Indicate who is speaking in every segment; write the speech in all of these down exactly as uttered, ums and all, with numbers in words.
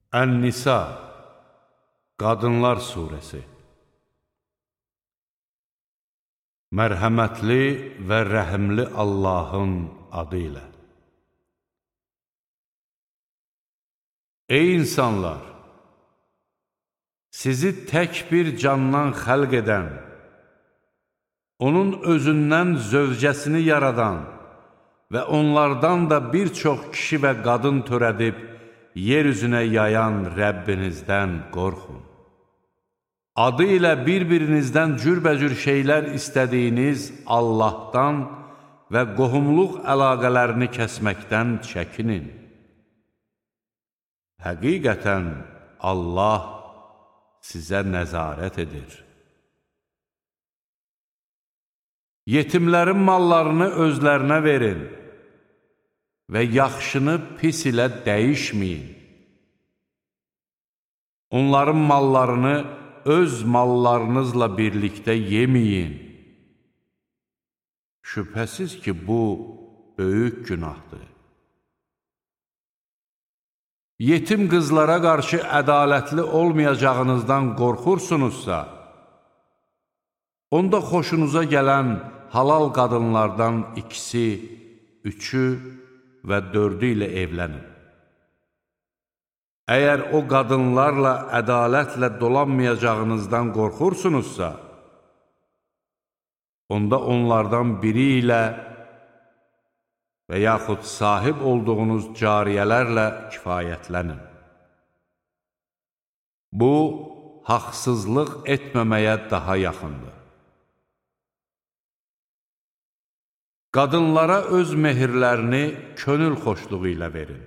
Speaker 1: Ən-Nisa, Qadınlar Suresi. Mərhəmətli və rəhimli Allahın adı ilə. Ey insanlar! Sizi tək bir candan xəlq edən, onun özündən zövcəsini yaradan və onlardan da bir çox kişi və qadın törədib, yer üzünə yayan Rəbbinizdən qorxun. Adı ilə bir-birinizdən cürbəcür şeylər istədiyiniz Allahdan və qohumluq əlaqələrini kəsməkdən çəkinin. Həqiqətən Allah sizə nəzarət edir. Yetimlərin mallarını özlərinə verin və yaxşını pis ilə dəyişməyin. Onların mallarını öz mallarınızla birlikdə yeməyin. Şübhəsiz ki, bu böyük günahdır. Yetim qızlara qarşı ədalətli olmayacağınızdan qorxursunuzsa, onda xoşunuza gələn halal qadınlardan ikisi, üçü və dördü ilə evlənin. Əgər o qadınlarla ədalətlə dolanmayacağınızdan qorxursunuzsa, onda onlardan biri ilə və yaxud sahib olduğunuz cariyələrlə kifayətlənin. Bu, haqsızlıq etməməyə daha yaxındır. Qadınlara öz mehirlərini könül xoşluğu ilə verin.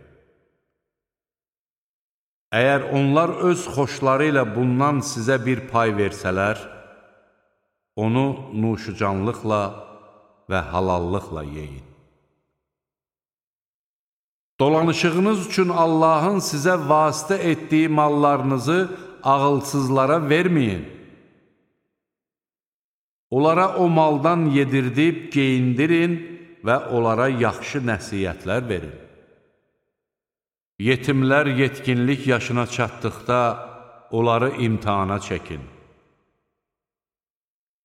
Speaker 1: Əgər onlar öz xoşları ilə bundan sizə bir pay versələr, onu nuşucanlıqla və halallıqla yeyin. Dolanışığınız üçün Allahın sizə vasitə etdiyi mallarınızı ağılsızlara verməyin. Onlara o maldan yedirdib, geyindirin və onlara yaxşı nəsiyyətlər verin. Yetimlər yetkinlik yaşına çatdıqda onları imtihana çəkin.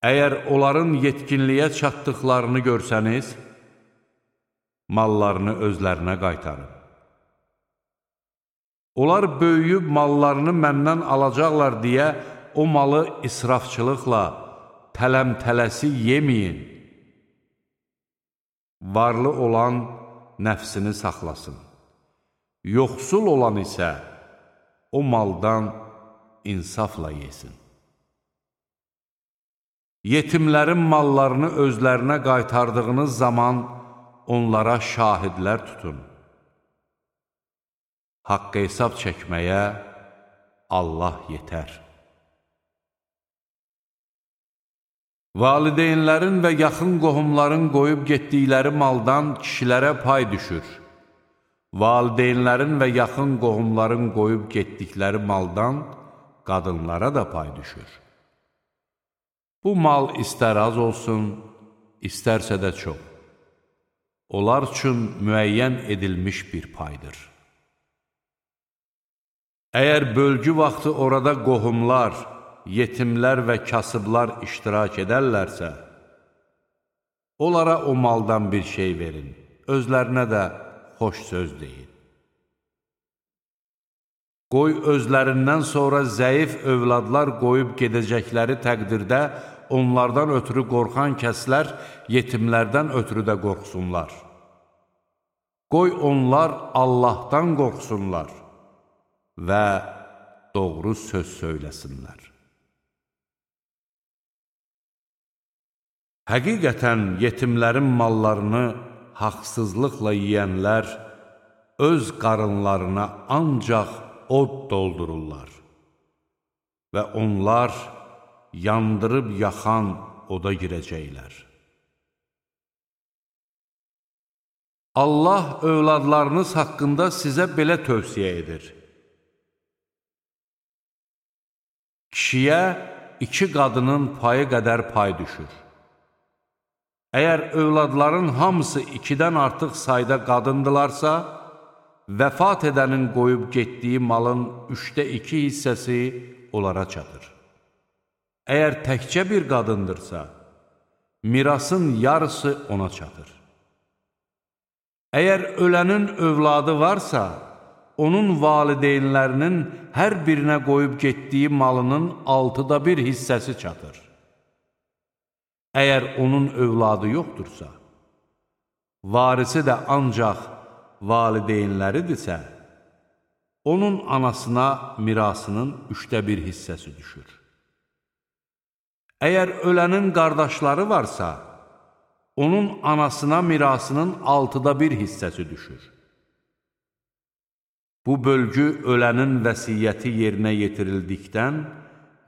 Speaker 1: Əgər onların yetkinliyə çatdıqlarını görsəniz, mallarını özlərinə qaytarın. Onlar böyüyüb mallarını məndən alacaqlar deyə o malı israfçılıqla, tələm-tələsi yeməyin. Varlı olan nəfsini saxlasın. Yoxsul olan isə o maldan insafla yesin. Yetimlərin mallarını özlərinə qaytardığınız zaman onlara şahidlər tutun. Haqq hesab çəkməyə Allah yetər. Valideynlərin və yaxın qohumların qoyub getdikləri maldan kişilərə pay düşür. Valideynlərin və yaxın qohumların qoyub getdikləri maldan qadınlara da pay düşür. Bu mal istər az olsun, istərsə də çox. Onlar üçün müəyyən edilmiş bir paydır. Əgər bölgü vaxtı orada qohumlar, yetimlər və kasıblar iştirak edərlərsə, onlara o maldan bir şey verin, özlərinə də xoş söz deyin. Qoy özlərindən sonra zəif övladlar qoyub gedəcəkləri təqdirdə onlardan ötürü qorxan kəslər yetimlərdən ötürü də qorxsunlar. Qoy onlar Allahdan qorxsunlar və doğru söz söyləsinlər. Həqiqətən yetimlərin mallarını haqsızlıqla yiyənlər öz qarınlarına ancaq od doldururlar və onlar yandırıb yaxan oda girəcəklər. Allah övladlarınız haqqında sizə belə tövsiyə edir. Kişiyə iki qadının payı qədər pay düşür. Əgər övladların hamısı ikidən artıq sayda qadındılarsa, vəfat edənin qoyub getdiyi malın üçdə iki hissəsi onlara çatır. Əgər təkcə bir qadındırsa, mirasın yarısı ona çatır. Əgər ölənin övladı varsa, onun valideynlərinin hər birinə qoyub getdiyi malının altıda bir hissəsi çatır. Əgər onun övladı yoxdursa, varisi də ancaq valideynləridirsə, onun anasına mirasının üçdə bir hissəsi düşür. Əgər ölənin qardaşları varsa, onun anasına mirasının altıda bir hissəsi düşür. Bu bölgü ölənin vəsiyyəti yerinə yetirildikdən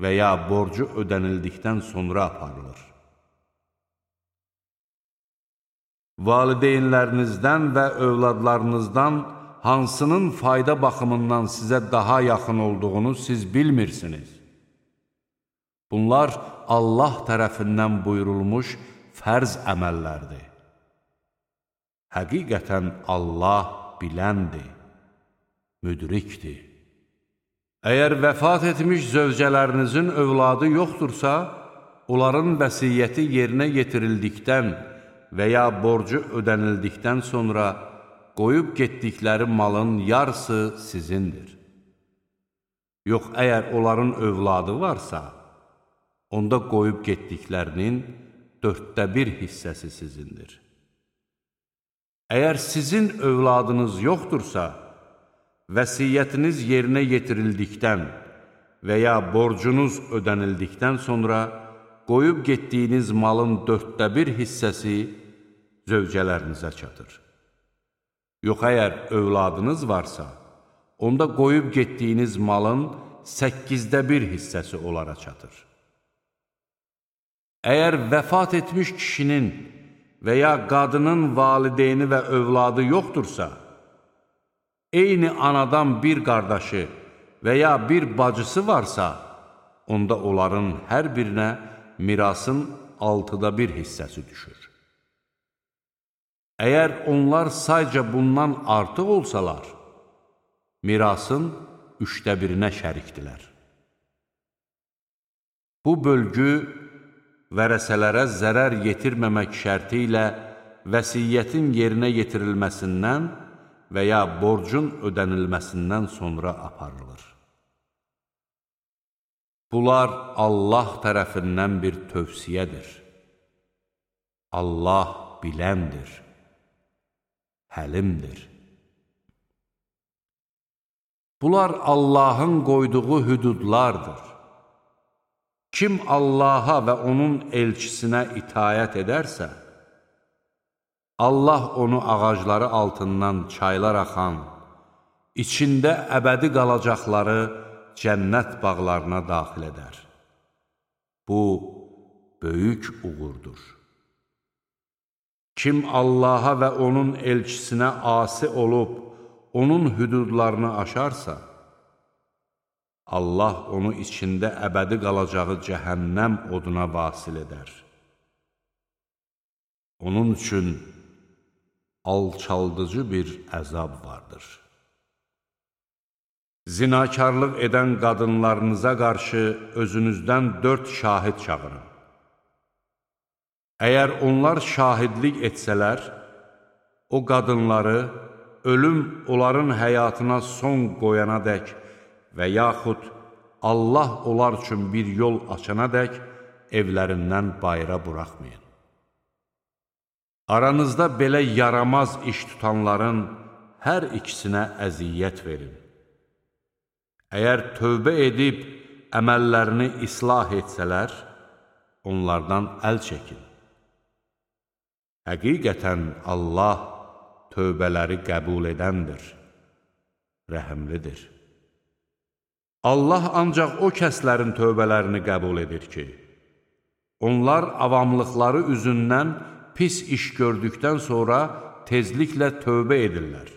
Speaker 1: və ya borcu ödənildikdən sonra aparılır. Valideynlərinizdən və övladlarınızdan hansının fayda baxımından sizə daha yaxın olduğunu siz bilmirsiniz. Bunlar Allah tərəfindən buyurulmuş fərz əməllərdir. Həqiqətən Allah biləndir, müdrikdir. Əgər vəfat etmiş zövcələrinizin övladı yoxdursa, onların vəsiyyəti yerinə yetirildikdən və ya borcu ödənildikdən sonra qoyub getdikləri malın yarısı sizindir. Yox, əgər onların övladı varsa, onda qoyub getdiklərinin dörddə bir hissəsi sizindir. Əgər sizin övladınız yoxdursa, vəsiyyətiniz yerinə yetirildikdən və ya borcunuz ödənildikdən sonra qoyub getdiyiniz malın dörddə bir hissəsi zövcələrinizə çatır. Yox, əgər övladınız varsa, onda qoyub getdiyiniz malın səkkizdə bir hissəsi onlara çatır. Əgər vəfat etmiş kişinin və ya qadının valideyni və övladı yoxdursa, eyni anadan bir qardaşı və ya bir bacısı varsa, onda onların hər birinə mirasın altıda bir hissəsi düşür. Əgər onlar sayca bundan artıq olsalar, mirasın üçdə birinə şərikdilər. Bu bölgü vərəsələrə zərər yetirməmək şərti ilə vəsiyyətin yerinə yetirilməsindən və ya borcun ödənilməsindən sonra aparılır. Bunlar Allah tərəfindən bir tövsiyədir. Allah biləndir, həlimdir. Bunlar Allahın qoyduğu hüdudlardır. Kim Allaha və onun elçisinə itayət edərsə, Allah onu ağacları altından çaylar axan, içində əbədi qalacaqları cənnət bağlarına daxil edər. Bu, böyük uğurdur. Kim Allaha və onun elçisinə asi olub, onun hüdudlarını aşarsa, Allah onu içində əbədi qalacağı cəhənnəm oduna vasil edər. Onun üçün alçaldıcı bir əzab vardır. Zinakarlıq edən qadınlarınıza qarşı özünüzdən dörd şahid çağırın. Əgər onlar şahidlik etsələr, o qadınları ölüm onların həyatına son qoyana dək və yaxud Allah onlar üçün bir yol açana dək evlərindən bayıra buraxmayın. Aranızda belə yaramaz iş tutanların hər ikisinə əziyyət verin. Əgər tövbə edib əməllərini islah etsələr, onlardan əl çəkin. Həqiqətən Allah tövbələri qəbul edəndir, rəhimlidir. Allah ancaq o kəslərin tövbələrini qəbul edir ki, onlar avamlıqları üzündən pis iş gördükdən sonra tezliklə tövbə edirlər.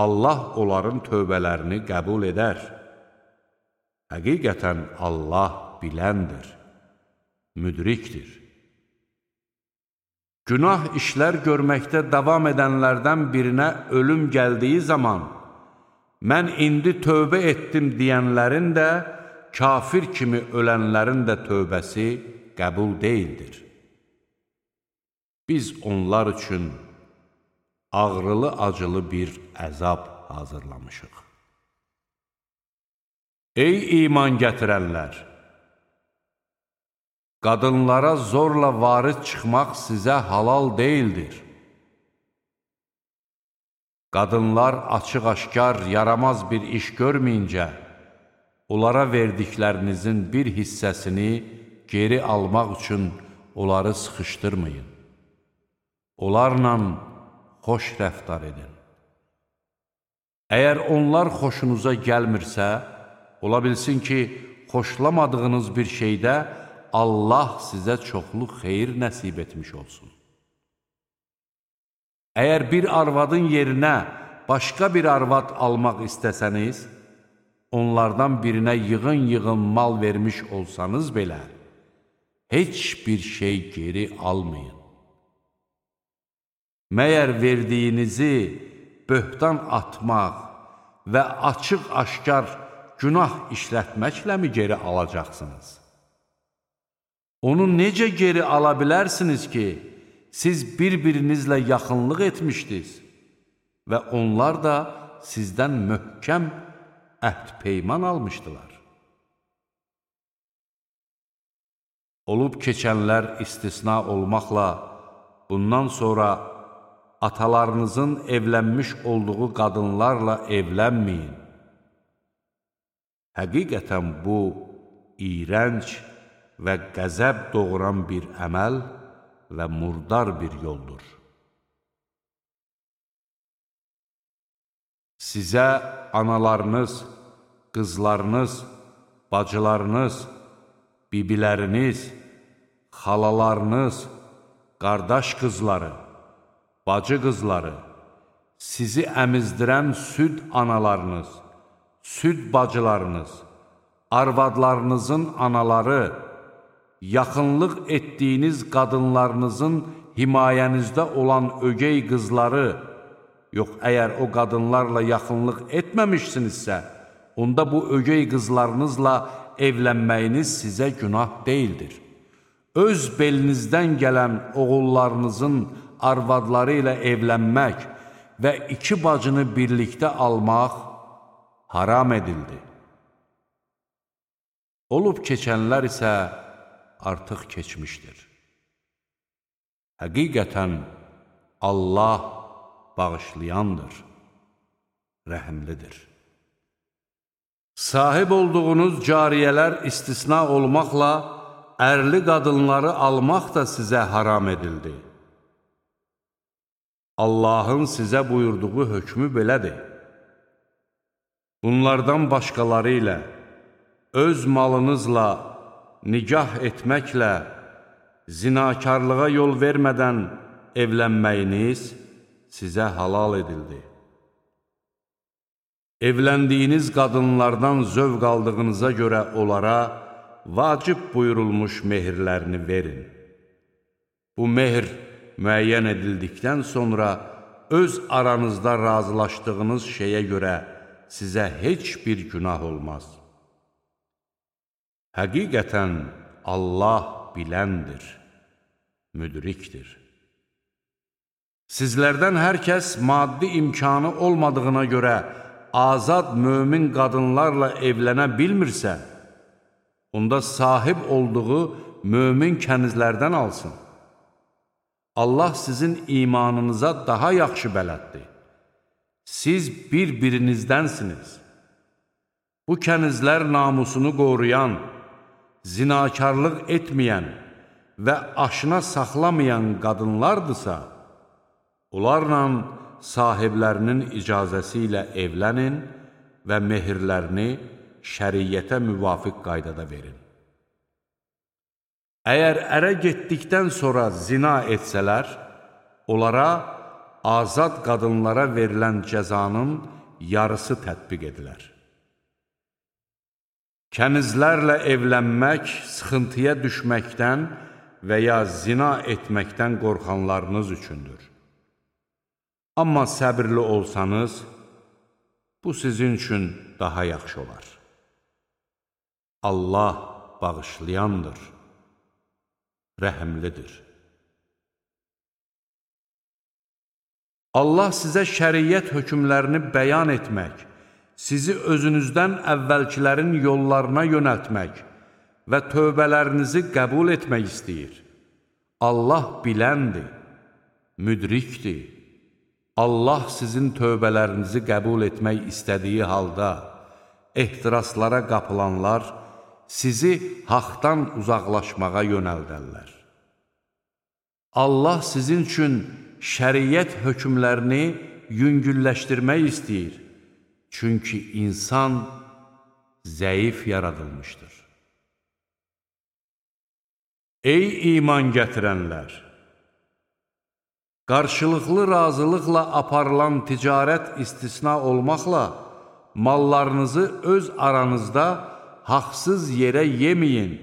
Speaker 1: Allah onların tövbələrini qəbul edər. Həqiqətən Allah biləndir, müdrikdir. Günah işlər görməkdə davam edənlərdən birinə ölüm gəldiyi zaman, mən indi tövbə etdim deyənlərin də, kafir kimi ölənlərin də tövbəsi qəbul deyildir. Biz onlar üçün ağrılı-acılı bir əzab hazırlamışıq. Ey iman gətirənlər! Qadınlara zorla varis çıxmaq sizə halal deyildir. Qadınlar açıq-aşkar, yaramaz bir iş görməyincə, onlara verdiklərinizin bir hissəsini geri almaq üçün onları sıxışdırmayın. Onlarla xoş rəftar edin. Əgər onlar xoşunuza gəlmirsə, ola bilsin ki, xoşlamadığınız bir şeydə Allah sizə çoxlu xeyir nəsib etmiş olsun. Əgər bir arvadın yerinə başqa bir arvad almaq istəsəniz, onlardan birinə yığın-yığın mal vermiş olsanız belə, heç bir şey geri almayın. Məyər verdiyinizi böhtan atmaq və açıq-aşkar günah işlətməklə mi geri alacaqsınız? Onu necə geri ala bilərsiniz ki, siz bir-birinizlə yaxınlıq etmişdiniz və onlar da sizdən möhkəm əhd-peyman almışdılar. Olub keçənlər istisna olmaqla, bundan sonra atalarınızın evlənmiş olduğu qadınlarla evlənməyin. Həqiqətən bu, iyrənc və qəzəb doğuran bir əməl və murdar bir yoldur. Sizə analarınız, qızlarınız, bacılarınız, bibiləriniz, xalalarınız, qardaş qızları, bacı qızları, sizi əmizdirən süd analarınız, süd bacılarınız, arvadlarınızın anaları, yaxınlıq etdiyiniz qadınlarınızın himayənizdə olan ögey qızları, yox, əgər o qadınlarla yaxınlıq etməmişsinizsə, onda bu ögey qızlarınızla evlənməyiniz sizə günah deyildir. Öz belinizdən gələn oğullarınızın arvadları ilə evlənmək və iki bacını birlikdə almaq haram edildi. Olub keçənlər isə artıq keçmişdir. Həqiqətən Allah bağışlayandır, rəhimlidir. Sahib olduğunuz cariyələr istisna olmaqla, ərli qadınları almaq da sizə haram edildi. Allahın sizə buyurduğu hökmü belədir. Bunlardan başqaları ilə, öz malınızla, nigah etməklə, zinakarlığa yol vermədən evlənməyiniz sizə halal edildi. Evləndiyiniz qadınlardan zövq aldığınıza görə onlara vacib buyurulmuş mehirlərini verin. Bu mehr müəyyən edildikdən sonra öz aranızda razılaşdığınız şeyə görə sizə heç bir günah olmaz. Həqiqətən Allah biləndir, müdrikdir. Sizlərdən hər kəs maddi imkanı olmadığına görə azad mömin qadınlarla evlənə bilmirsə, onda sahib olduğu mömin kənizlərdən alsın. Allah sizin imanınıza daha yaxşı bələddir. Siz bir-birinizdənsiniz. Bu kənizlər namusunu qoruyan, zinakarlıq etməyən və aşına saxlamayan qadınlardırsa, onlarla sahiblərinin icazəsi ilə evlənin və mehirlərini şəriyyətə müvafiq qaydada verin. Əgər ərə getdikdən sonra zina etsələr, onlara azad qadınlara verilən cəzanın yarısı tətbiq edilər. Kənizlərlə evlənmək sıxıntıya düşməkdən və ya zina etməkdən qorxanlarınız üçündür. Amma səbirli olsanız, bu sizin üçün daha yaxşı olar. Allah bağışlayandır, rəhimlidir. Allah sizə şəriət hökmlərini bəyan etmək, sizi özünüzdən əvvəlkilərin yollarına yönəltmək və tövbələrinizi qəbul etmək istəyir. Allah biləndir, müdrikdir. Allah sizin tövbələrinizi qəbul etmək istədiyi halda, ehtiraslara qapılanlar sizi haqdan uzaqlaşmağa yönəldərlər. Allah sizin üçün şəriət hökmlərini yüngülləşdirmək istəyir. Çünki insan zəif yaradılmışdır. Ey iman gətirənlər! Qarşılıqlı razılıqla aparılan ticarət istisna olmaqla, mallarınızı öz aranızda haqsız yerə yeməyin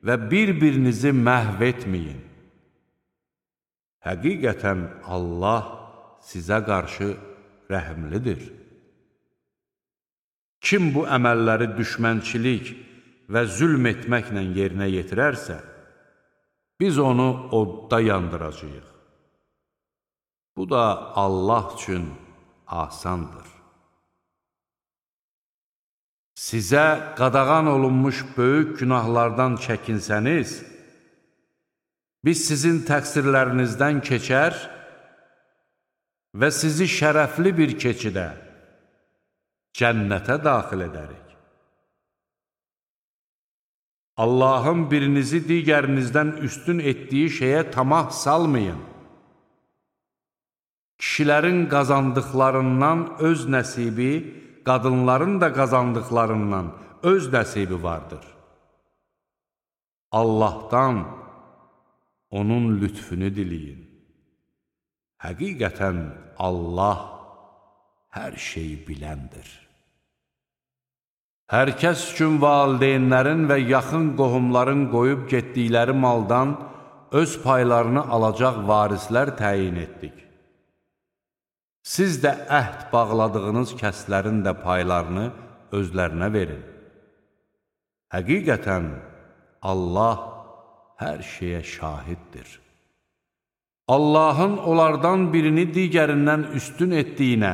Speaker 1: və bir-birinizi məhv etməyin. Həqiqətən Allah sizə qarşı rəhimlidir. Kim bu əməlləri düşmənçilik və zülm etməklə yerinə yetirərsə, biz onu odda yandıracağıq. Bu da Allah üçün asandır. Sizə qadağan olunmuş böyük günahlardan çəkinsəniz, biz sizin təqsirlərinizdən keçər və sizi şərəfli bir keçidə, cənnətə daxil edərik. Allahın birinizi digərinizdən üstün etdiyi şeyə tamah salmayın. Kişilərin qazandıqlarından öz nəsibi, qadınların da qazandıqlarından öz nəsibi vardır. Allahdan onun lütfünü diləyin. Həqiqətən Allah hər şeyi biləndir. Hər kəs üçün valideynlərin və yaxın qohumların qoyub getdikləri maldan öz paylarını alacaq varislər təyin etdik. Siz də əhd bağladığınız kəslərin də paylarını özlərinə verin. Həqiqətən Allah hər şeyə şahiddir. Allahın onlardan birini digərindən üstün etdiyinə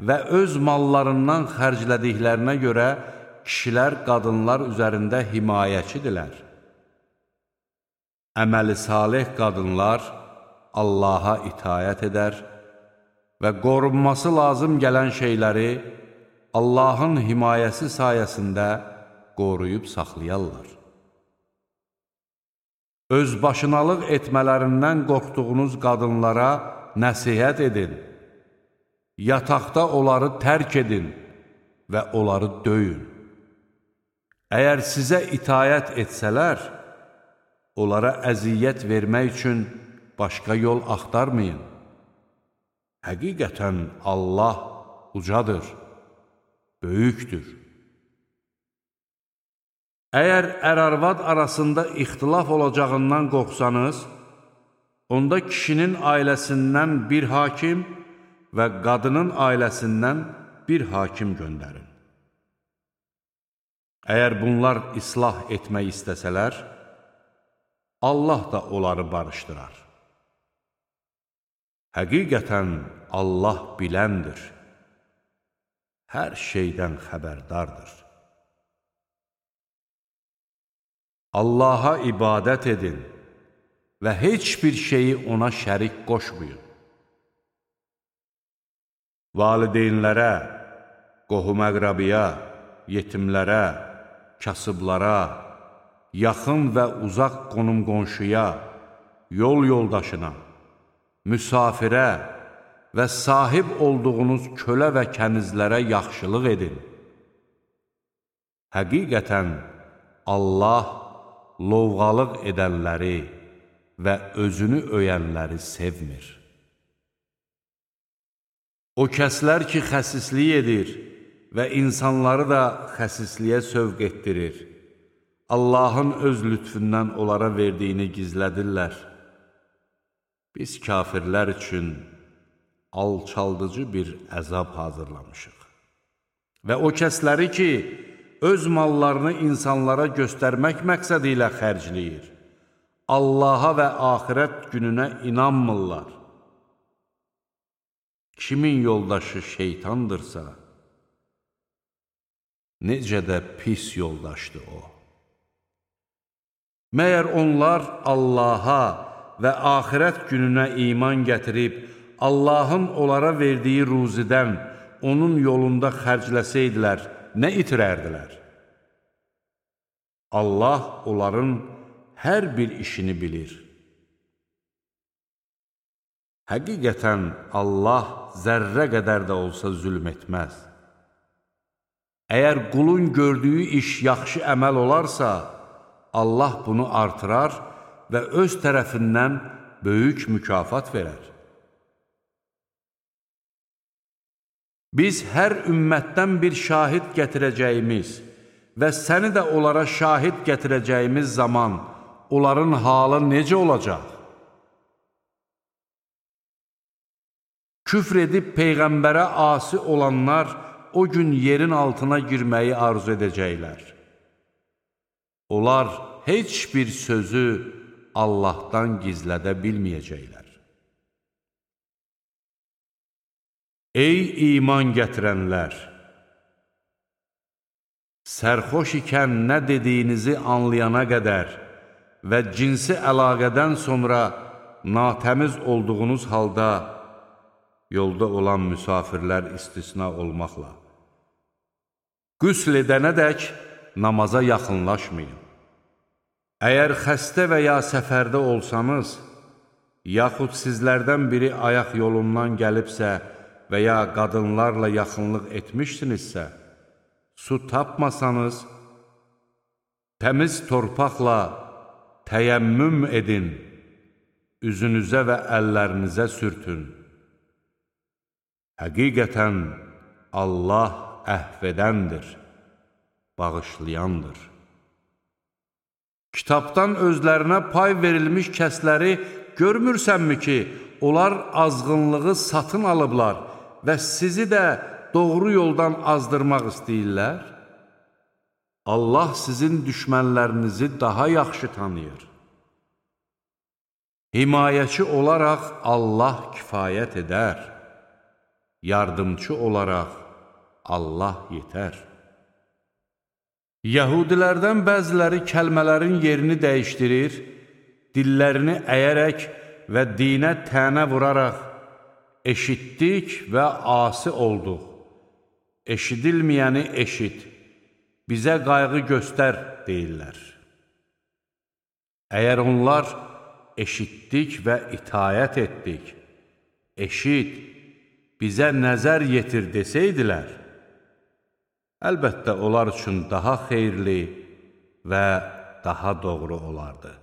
Speaker 1: və öz mallarından xərclədiklərinə görə kişilər qadınlar üzərində himayəçidirlər. Əməli salih qadınlar Allaha itayət edər və qorunması lazım gələn şeyləri Allahın himayəsi sayəsində qoruyub saxlayarlar. Özbaşınalıq etmələrindən qorxduğunuz qadınlara nəsihət edin, yataqda onları tərk edin və onları döyün. Əgər sizə itayət etsələr, onlara əziyyət vermək üçün başqa yol axtarmayın. Həqiqətən Allah ucadır, böyükdür. Əgər ər-arvad arasında ixtilaf olacağından qorxsanız, onda kişinin ailəsindən bir hakim və qadının ailəsindən bir hakim göndərin. Əgər bunlar islah etmək istəsələr, Allah da onları barışdırar. Həqiqətən Allah biləndir, hər şeydən xəbərdardır. Allaha ibadət edin və heç bir şeyi ona şərik qoşmayın. Valideynlərə, qohum-əqrabiya, yetimlərə, kasıblara, yaxın və uzaq qonum-qonşuya, yol yoldaşına, müsafirə və sahib olduğunuz kölə və kənizlərə yaxşılıq edin. Həqiqətən Allah lovğalıq edənləri və özünü öyənləri sevmir. O kəslər ki, xəsislik edir və insanları da xəsisliyə sövq etdirir, Allahın öz lütfündən onlara verdiyini gizlədirlər. Biz kafirlər üçün alçaldıcı bir əzab hazırlamışıq. Və o kəsləri ki, öz mallarını insanlara göstərmək məqsədi ilə xərcləyir, Allaha və axirət gününə inanmırlar. Kimin yoldaşı şeytandırsa, necə də pis yoldaşdır o. Məyər onlar Allaha və axirət gününə iman gətirib, Allahın onlara verdiyi ruzidən onun yolunda xərcləsəydilər, nə itirərdilər? Allah onların hər bir işini bilir. Həqiqətən Allah zərrə qədər də olsa zülm etməz. Əgər qulun gördüyü iş yaxşı əməl olarsa, Allah bunu artırar və öz tərəfindən böyük mükafat verər. Biz hər ümmətdən bir şahid gətirəcəyimiz və səni də onlara şahid gətirəcəyimiz zaman onların halı necə olacaq? Küfr edib Peyğəmbərə asi olanlar o gün yerin altına girməyi arzu edəcəklər. Onlar heç bir sözü Allahdan gizlədə bilməyəcəklər. Ey iman gətirənlər! Sərxoş ikən nə dediyinizi anlayana qədər və cinsi əlaqədən sonra natəmiz olduğunuz halda yolda olan müsafirlər istisna olmaqla qüsl edənədək namaza yaxınlaşmayın. Əgər xəstə və ya səfərdə olsanız, yaxud sizlərdən biri ayaq yolundan gəlibsə və ya qadınlarla yaxınlıq etmişsinizsə, su tapmasanız, təmiz torpaqla təyəmmüm edin, üzünüzə və əllərinizə sürtün. Həqiqətən Allah əhv edəndir, bağışlayandır. Kitabdan özlərinə pay verilmiş kəsləri görmürsənmi ki, onlar azğınlığı satın alıblar və sizi də doğru yoldan azdırmaq istəyirlər? Allah sizin düşmənlərinizi daha yaxşı tanıyır. Himayəçi olaraq Allah kifayət edər. Yardımçı olaraq Allah yetər. Yəhudilərdən bəziləri kəlmələrin yerini dəyişdirir, dillərini əyərək və dinə tənə vuraraq, eşitdik və asi olduq. Eşidilməyəni eşit, bizə qayğı göstər deyirlər. Əgər onlar eşitdik və itayət etdik, eşit, bizə nəzər yetir desəydilər, əlbəttə onlar üçün daha xeyirli və daha doğru olardı.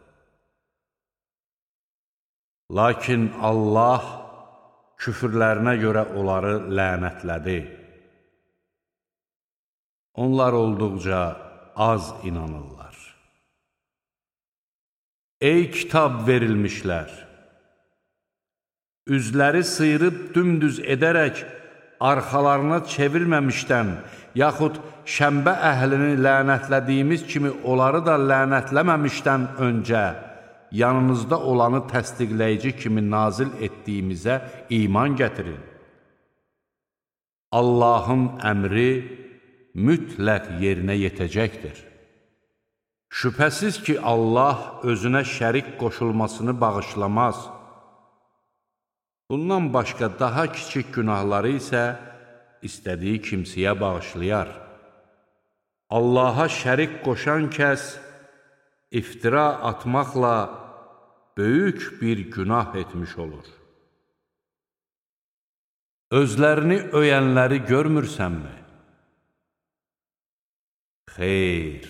Speaker 1: Lakin Allah küfürlərinə görə onları lənətlədi. Onlar olduqca az inanırlar. Ey kitab verilmişlər! Üzləri sıyırıb dümdüz edərək, arxalarına çevirməmişdən, yaxud şəmbə əhlini lənətlədiyimiz kimi onları da lənətləməmişdən öncə, yanınızda olanı təsdiqləyici kimi nazil etdiyimizə iman gətirin. Allahın əmri mütləq yerinə yetəcəkdir. Şübhəsiz ki, Allah özünə şərik qoşulmasını bağışlamaz. Bundan başqa daha kiçik günahları isə istədiyi kimsəyə bağışlayar. Allaha şərik qoşan kəs iftira atmaqla böyük bir günah etmiş olur. Özlərini öyənləri görmürsənmi? Xeyr,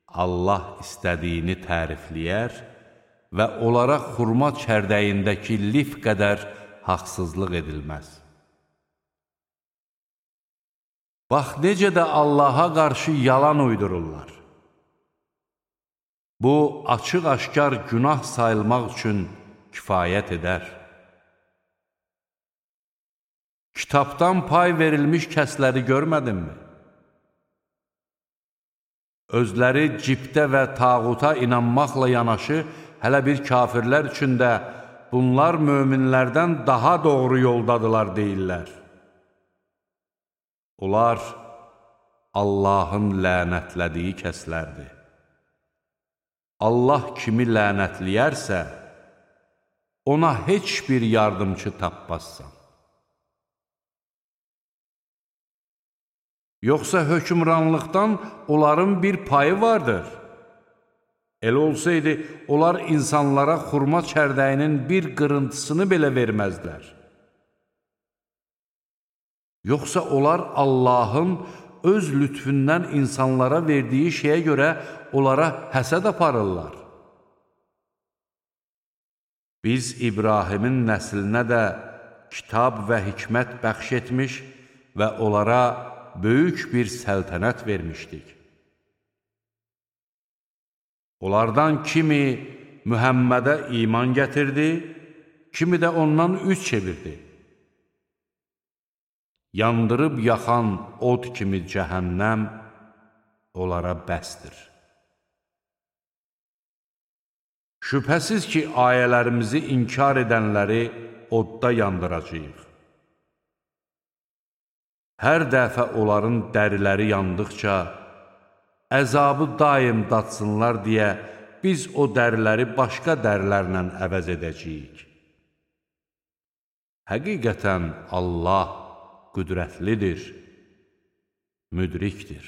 Speaker 1: Allah istədiyini tərifləyər və onlara xurma çərdəyindəki lif qədər haqsızlıq edilməz. Bax, necə də Allaha qarşı yalan uydururlar. Bu, açıq-aşkar günah sayılmaq üçün kifayət edər. Kitabdan pay verilmiş kəsləri görmədinmi? Özləri cibdə və tağuta inanmaqla yanaşı, hələ bir kafirlər üçün də bunlar möminlərdən daha doğru yoldadılar deyirlər. Onlar Allahın lənətlədiyi kəslərdir. Allah kimi lənətləyərsə, ona heç bir yardımcı tapmazsan. Yoxsa hökmranlıqdan onların bir payı vardır. Elə olsaydı, onlar insanlara xurma çərdəyinin bir qırıntısını belə verməzlər. Yoxsa onlar Allahın öz lütfündən insanlara verdiyi şeyə görə onlara həsəd aparırlar. Biz İbrahimin nəslinə də kitab və hikmət bəxş etmiş və onlara böyük bir səltənət vermişdik. Onlardan kimi Mühəmmədə iman gətirdi, kimi də ondan üz çevirdi. Yandırıb yaxan od kimi cəhənnəm onlara bəsdir. Şübhəsiz ki, ayələrimizi inkar edənləri odda yandıracağıq. Hər dəfə onların dəriləri yandıqca, əzabı daim datsınlar deyə biz o dəriləri başqa dərilərlə əvəz edəcəyik. Həqiqətən Allah qüdrətlidir, müdrikdir.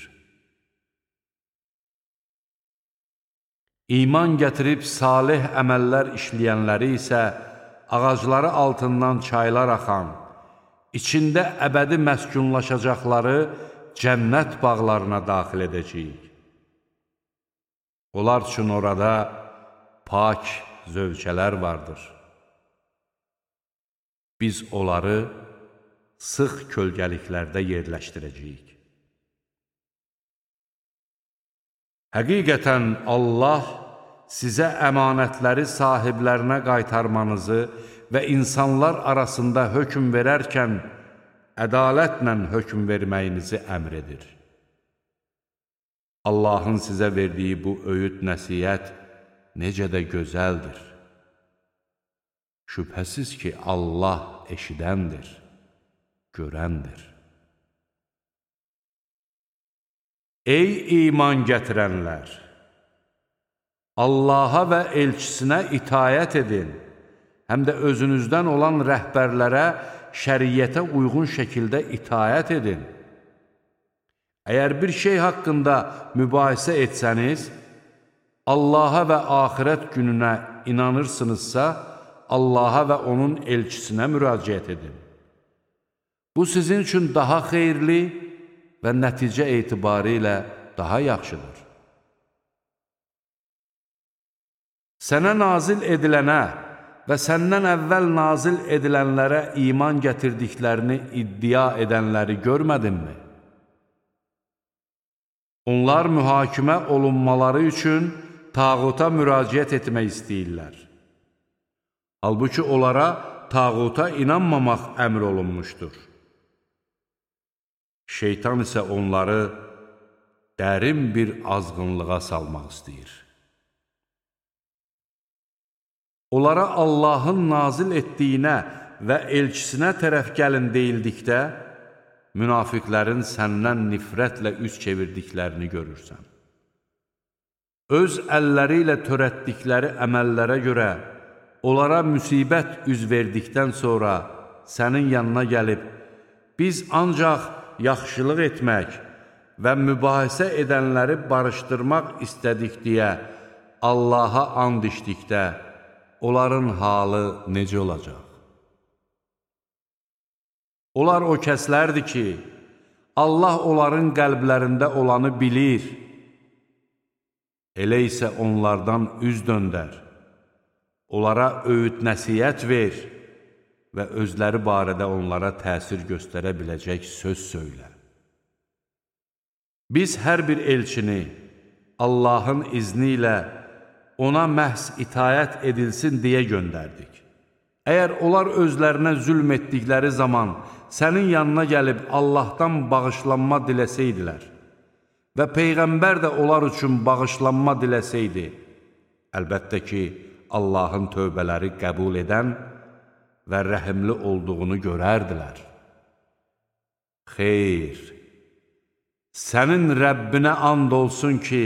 Speaker 1: İman gətirib salih əməllər işləyənləri isə ağacları altından çaylar axan, içində əbədi məskunlaşacaqları cənnət bağlarına daxil edəcəyik. Onlar üçün orada pak zövcələr vardır. Biz onları sıx kölgəliklərdə yerləşdirəcəyik. Həqiqətən Allah sizə əmanətləri sahiblərinə qaytarmanızı və insanlar arasında hökm verərkən ədalətlə hökm verməyinizi əmr edir. Allahın sizə verdiyi bu öyüd nəsihət necə də gözəldir. Şübhəsiz ki, Allah eşidəndir, görəndir. Ey iman gətirənlər! Allaha və elçisinə itayət edin, həm də özünüzdən olan rəhbərlərə şəriyyətə uyğun şəkildə itayət edin. Əgər bir şey haqqında mübahisə etsəniz, Allaha və axirət gününə inanırsınızsa, Allaha və onun elçisinə müraciət edin. Bu sizin üçün daha xeyirli və nəticə etibarı ilə daha yaxşıdır. Sənə nazil edilənə və səndən əvvəl nazil edilənlərə iman gətirdiklərini iddia edənləri görmədinmi? Onlar mühakimə olunmaları üçün tağuta müraciət etmək istəyirlər. Halbuki onlara tağuta inanmamaq əmr olunmuşdur. Şeytan isə onları dərin bir azğınlığa salmaq istəyir. Onlara Allahın nazil etdiyinə və elçisinə tərəf gəlin deyildikdə, münafiqlərin səndən nifrətlə üz çevirdiklərini görürsən. Öz əlləri ilə törətdikləri əməllərə görə onlara müsibət üz verdikdən sonra sənin yanına gəlib, biz ancaq yaxşılıq etmək və mübahisə edənləri barışdırmaq istədik deyə Allaha and içdikdə, onların halı necə olacaq? Onlar o kəslərdir ki, Allah onların qəlblərində olanı bilir. Elə isə onlardan üz döndər, onlara öyüd nəsihət ver və özləri barədə onlara təsir göstərə biləcək söz söylə. Biz hər bir elçini Allahın izni ilə ona məhz itayət edilsin deyə göndərdik. Əgər onlar özlərinə zülm etdikləri zaman sənin yanına gəlib Allahdan bağışlanma diləsəydilər və Peyğəmbər də onlar üçün bağışlanma diləsəydi, əlbəttə ki, Allahın tövbələri qəbul edən və rəhimli olduğunu görərdilər. Xeyr, sənin Rəbbinə and olsun ki,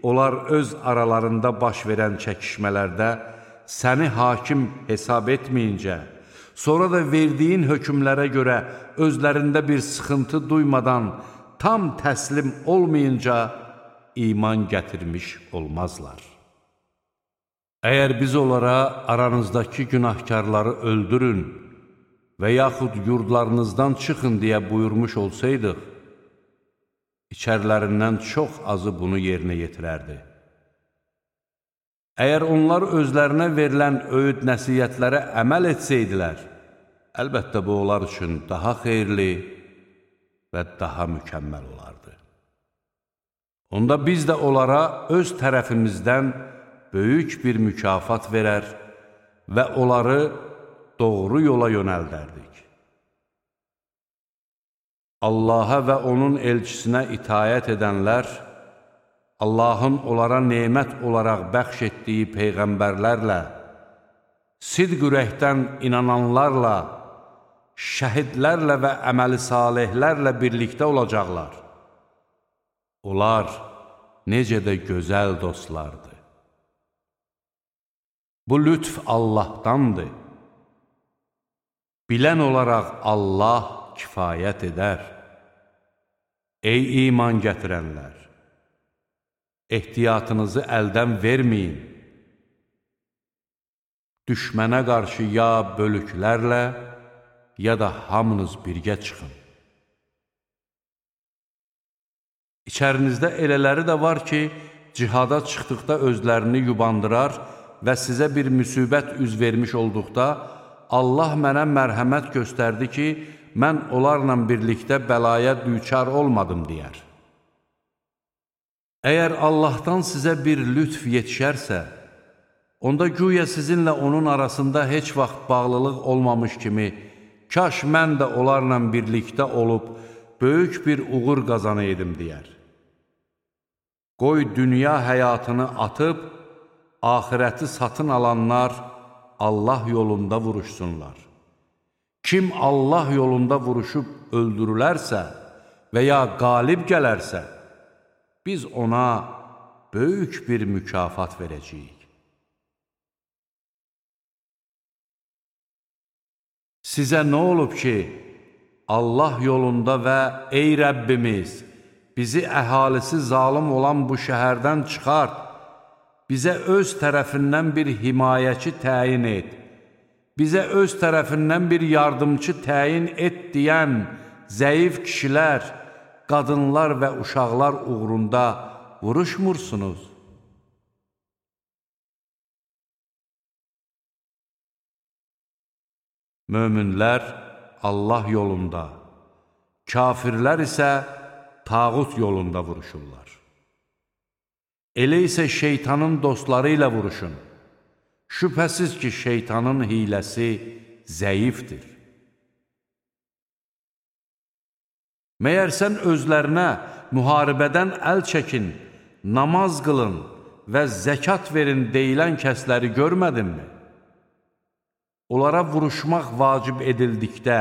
Speaker 1: onlar öz aralarında baş verən çəkişmələrdə səni hakim hesab etməyincə, sonra da verdiyin hökmlərə görə özlərində bir sıxıntı duymadan tam təslim olmayınca iman gətirmiş olmazlar. Əgər biz onlara aranızdakı günahkarları öldürün və yaxud yurdlarınızdan çıxın deyə buyurmuş olsaydıq, içərilərindən çox azı bunu yerinə yetirərdi. Əgər onlar özlərinə verilən öyüd nəsiyyətlərə əməl etsəydilər, əlbəttə bu onlar üçün daha xeyirli və daha mükəmməl olardı. Onda biz də onlara öz tərəfimizdən böyük bir mükafat verər və onları doğru yola yönəldərdik. Allaha və onun elçisinə itayət edənlər, Allahın onlara nemət olaraq bəxş etdiyi peyğəmbərlərlə, sidq ürəkdən inananlarla, şəhidlərlə və əməli salihlərlə birlikdə olacaqlar. Onlar necə də gözəl dostlardır. Bu lütf Allahdandır. Bilən olaraq Allah kifayət edər. Ey iman gətirənlər! Ehtiyatınızı əldən verməyin. Düşmənə qarşı ya bölüklərlə, ya da hamınız birgə çıxın. İçərinizdə elələri də var ki, cihada çıxdıqda özlərini yubandırar və sizə bir müsibət üz vermiş olduqda, Allah mənə mərhəmət göstərdi ki, mən onlarla birlikdə bəlaya düçar olmadım deyər. Əgər Allahdan sizə bir lütf yetişərsə, onda güya sizinlə onun arasında heç vaxt bağlılıq olmamış kimi, kaş mən də onlarla birlikdə olub, böyük bir uğur qazanaydım deyər. Qoy dünya həyatını atıb, axirəti satın alanlar Allah yolunda vuruşsunlar. Kim Allah yolunda vuruşub öldürülərsə və ya qalib gələrsə, biz ona böyük bir mükafat verəcəyik. Sizə nə olub ki, Allah yolunda və ey Rəbbimiz, bizi əhalisi zalım olan bu şəhərdən çıxart, bizə öz tərəfindən bir himayəçi təyin et, bizə öz tərəfindən bir yardımcı təyin et deyən zəif kişilər, qadınlar və uşaqlar uğrunda vuruşmursunuz. Möminlər Allah yolunda, kafirlər isə tağut yolunda vuruşurlar. Elə isə şeytanın dostları ilə vuruşun. Şübhəsiz ki, şeytanın hiləsi zəifdir. Məyər sən özlərinə müharibədən əl çəkin, namaz qılın və zəkat verin deyilən kəsləri görmədinmi? Onlara vuruşmaq vacib edildikdə,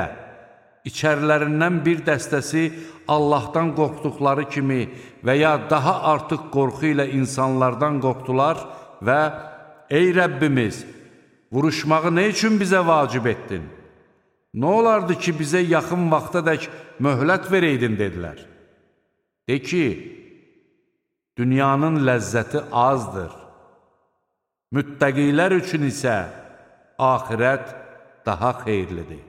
Speaker 1: içərilərindən bir dəstəsi Allahdan qorxduqları kimi və ya daha artıq qorxu ilə insanlardan qorxdular və ey Rəbbimiz, vuruşmağı nə üçün bizə vacib etdin? Nə olardı ki, bizə yaxın vaxtadək möhlət verəydin, dedilər. De ki, dünyanın ləzzəti azdır. Müttəqilər üçün isə axirət daha xeyirlidir.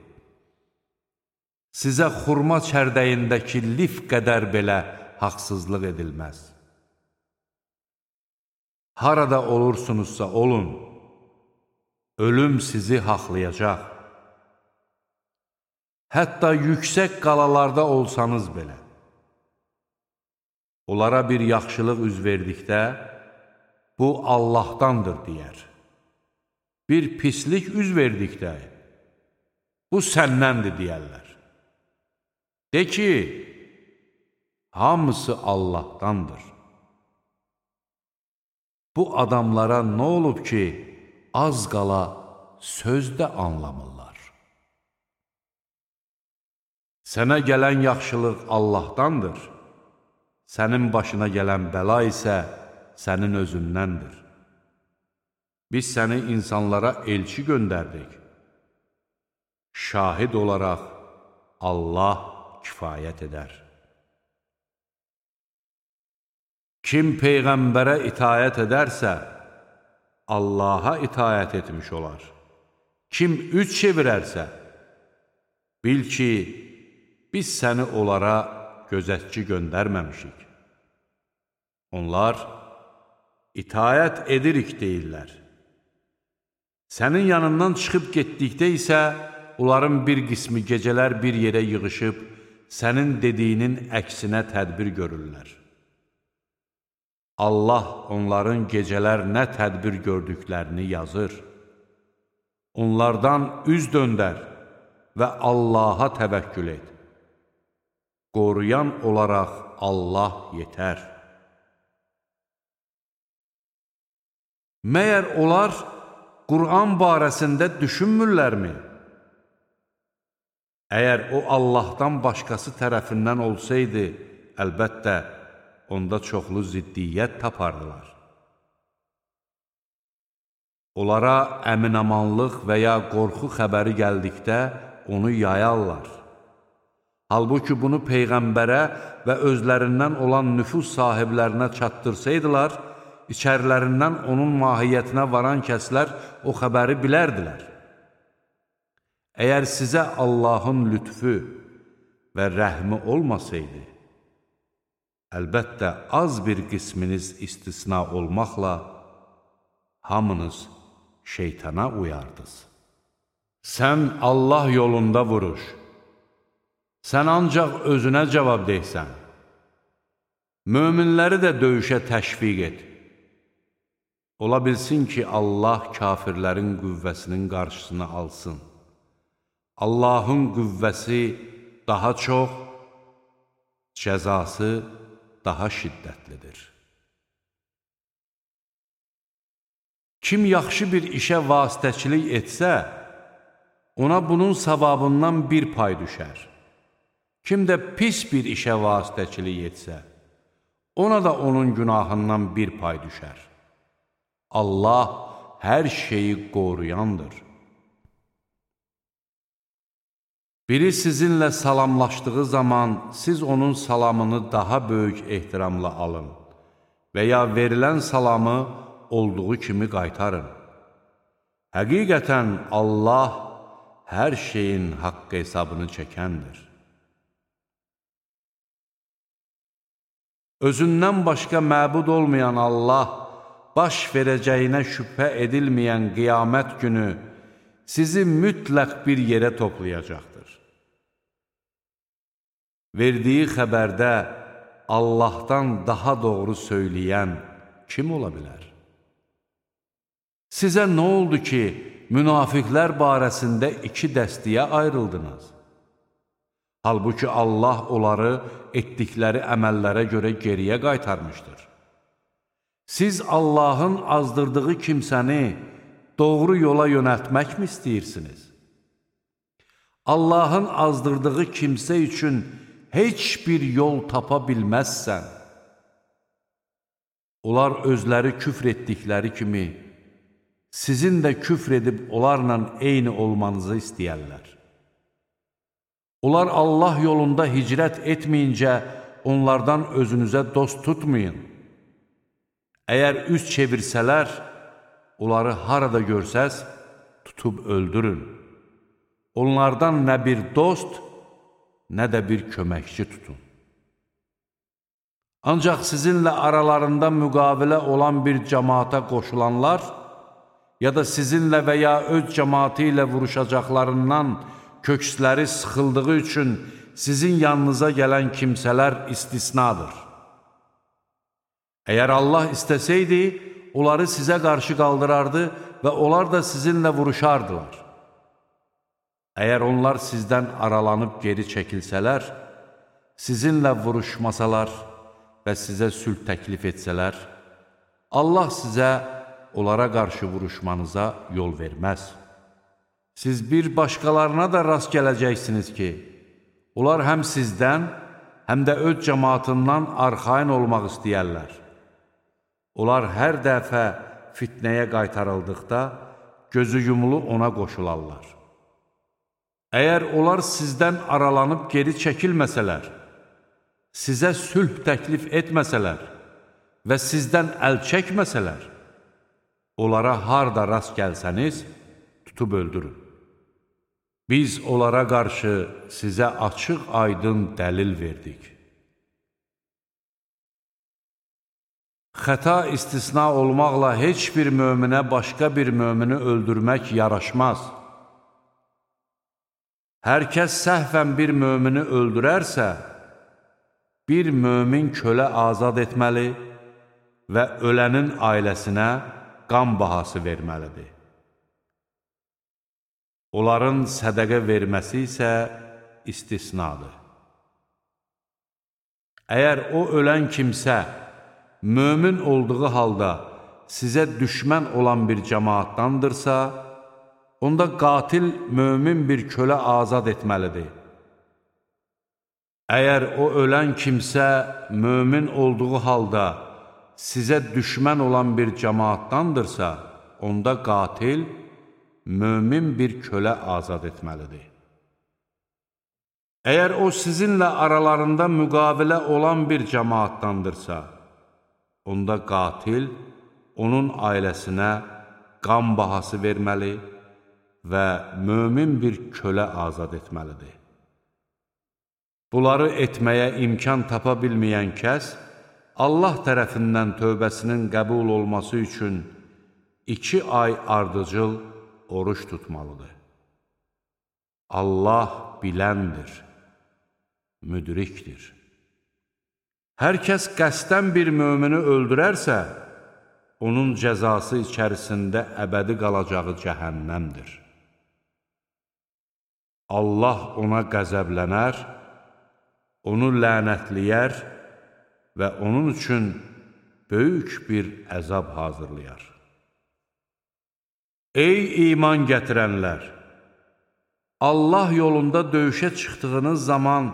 Speaker 1: Sizə xurma çərdəyindəki lif qədər belə haqsızlıq edilməz. Harada olursunuzsa olun, ölüm sizi haqlayacaq. Hətta yüksək qalalarda olsanız belə. Onlara bir yaxşılıq üz verdikdə, bu Allahdandır deyər. Bir pislik üz verdikdə, bu səndəndir deyərlər. De ki, hamısı Allahdandır. Bu adamlara nə olub ki, az qala sözdə anlamırlar. Sənə gələn yaxşılıq Allahdandır, sənin başına gələn bəla isə sənin özündəndir. Biz səni insanlara elçi göndərdik. Şahid olaraq Allah kifayət edər. Kim Peyğəmbərə itayət edərsə, Allaha itayət etmiş olar. Kim üç çevirərsə, bil ki, biz səni onlara gözətçi göndərməmişik. Onlar itayət edirik deyirlər. Sənin yanından çıxıb getdikdə isə, onların bir qismi gecələr bir yerə yığışıb, sənin dediyinin əksinə tədbir görürlər. Allah onların gecələr nə tədbir gördüklərini yazır. Onlardan üz döndər və Allaha təvəkkül et. Qoruyan olaraq Allah yetər. Məyər onlar Qur'an barəsində düşünmürlərmi? Əgər o Allahdan başqası tərəfindən olsaydı, əlbəttə, onda çoxlu ziddiyyət tapardılar. Onlara əminamanlıq və ya qorxu xəbəri gəldikdə onu yayarlar. Halbuki bunu Peyğəmbərə və özlərindən olan nüfuz sahiblərinə çatdırsaydılar, içərilərindən onun mahiyyətinə varan kəslər o xəbəri bilərdilər. Əgər sizə Allahın lütfü və rəhmi olmasaydı, əlbəttə az bir qisminiz istisna olmaqla hamınız şeytana uyardınız. Sən Allah yolunda vuruş, sən ancaq özünə cavab deysən, möminləri də döyüşə təşviq et. Ola bilsin ki, Allah kafirlərin qüvvəsinin qarşısını alsın. Allahın qüvvəsi daha çox, cəzası daha şiddətlidir. Kim yaxşı bir işə vasitəçilik etsə, ona bunun savabından bir pay düşər. Kim də pis bir işə vasitəçilik etsə, ona da onun günahından bir pay düşər. Allah hər şeyi qoruyandır. Biri sizinlə salamlaşdığı zaman siz onun salamını daha böyük ehtiramla alın və ya verilən salamı olduğu kimi qaytarın. Həqiqətən Allah hər şeyin haqq hesabını çəkəndir. Özündən başqa məbud olmayan Allah, baş verəcəyinə şübhə edilməyən qiyamət günü sizi mütləq bir yerə toplayacaqdır. Verdiyi xəbərdə Allahdan daha doğru söyləyən kim ola bilər? Sizə nə oldu ki, münafiqlər barəsində iki dəstəyə ayrıldınız? Halbuki Allah onları etdikləri əməllərə görə geriyə qaytarmışdır. Siz Allahın azdırdığı kimsəni doğru yola yönəltməkmi istəyirsiniz? Allahın azdırdığı kimsə üçün heç bir yol tapa bilməzsən. Onlar özləri küfr etdikləri kimi, sizin də küfr edib onlarla eyni olmanızı istəyərlər. Onlar Allah yolunda hicrət etməyincə onlardan özünüzə dost tutmayın. Əgər üz çevirsələr, onları harada görsəz, tutub öldürün. Onlardan nə bir dost, nə də bir köməkçi tutun. Ancaq sizinlə aralarında müqavilə olan bir cəmaata qoşulanlar, ya da sizinlə və ya öz cəmaatı ilə vuruşacaqlarından köksləri sıxıldığı üçün sizin yanınıza gələn kimsələr istisnadır. Əgər Allah istəsəydi, onları sizə qarşı qaldırardı və onlar da sizinlə vuruşardılar. Əgər onlar sizdən aralanıb geri çəkilsələr, sizinlə vuruşmasalar və sizə sülh təklif etsələr, Allah sizə onlara qarşı vuruşmanıza yol verməz. Siz bir başqalarına da rast gələcəksiniz ki, onlar həm sizdən, həm də öz cəmaatından arxayın olmaq istəyərlər. Onlar hər dəfə fitnəyə qaytarıldıqda, gözü yumulu ona qoşularlar. Əgər onlar sizdən aralanıb geri çəkilməsələr, sizə sülh təklif etməsələr və sizdən əl çəkməsələr, onlara harda rast gəlsəniz, tutub öldürün. Biz onlara qarşı sizə açıq aydın dəlil verdik. Xəta istisna olmaqla heç bir möminə başqa bir mömini öldürmək yaraşmaz. Hər kəs səhvən bir mömini öldürərsə, bir mömin kölə azad etməli və ölənin ailəsinə qan bahası verməlidir. Onların sədəqə verməsi isə istisnadır. Əgər o ölən kimsə mömin olduğu halda sizə düşmən olan bir cəmaatdandırsa, onda qatil mömin bir kölə azad etməlidir. Əgər o ölən kimsə mömin olduğu halda sizə düşmən olan bir cəmaatdandırsa, onda qatil mömin bir kölə azad etməlidir. Əgər o sizinlə aralarında müqavilə olan bir cəmaatdandırsa, onda qatil onun ailəsinə qan bahası verməli və mömin bir kölə azad etməlidir. Bunları etməyə imkan tapa bilməyən kəs, Allah tərəfindən tövbəsinin qəbul olması üçün iki ay ardıcıl oruç tutmalıdır. Allah biləndir, müdrikdir. Hər kəs qəsdən bir mömini öldürərsə, onun cəzası içərisində əbədi qalacağı cəhənnəmdir. Allah ona qəzəblənər, onu lənətləyər və onun üçün böyük bir əzab hazırlayar. Ey iman gətirənlər! Allah yolunda döyüşə çıxdığınız zaman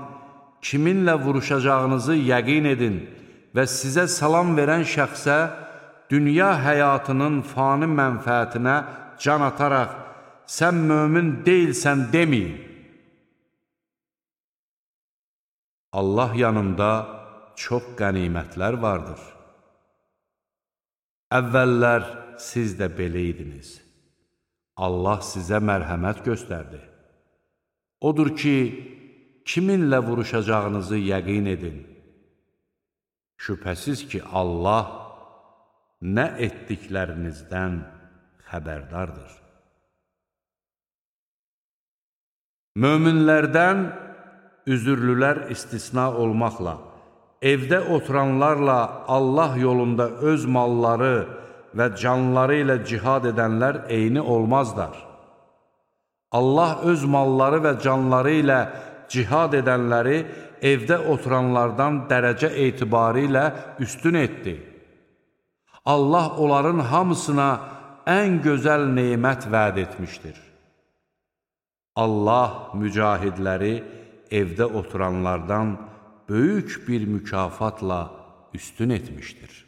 Speaker 1: kiminlə vuruşacağınızı yəqin edin və sizə salam verən şəxsə dünya həyatının fani mənfəətinə can ataraq sən mömin deyilsən deməyin. Allah yanında çox qənimətlər vardır. Əvvəllər siz də belə idiniz. Allah sizə mərhəmət göstərdi. Odur ki, kiminlə vuruşacağınızı yəqin edin. Şübhəsiz ki, Allah nə etdiklərinizdən xəbərdardır. Möminlərdən üzürlülər istisna olmaqla, evdə oturanlarla Allah yolunda öz malları və canları ilə cihad edənlər eyni olmazlar. Allah öz malları və canları ilə cihad edənləri evdə oturanlardan dərəcə etibarı ilə üstün etdi. Allah onların hamısına ən gözəl nemət vəd etmişdir. Allah mücahidləri evdə oturanlardan böyük bir mükafatla üstün etmişdir.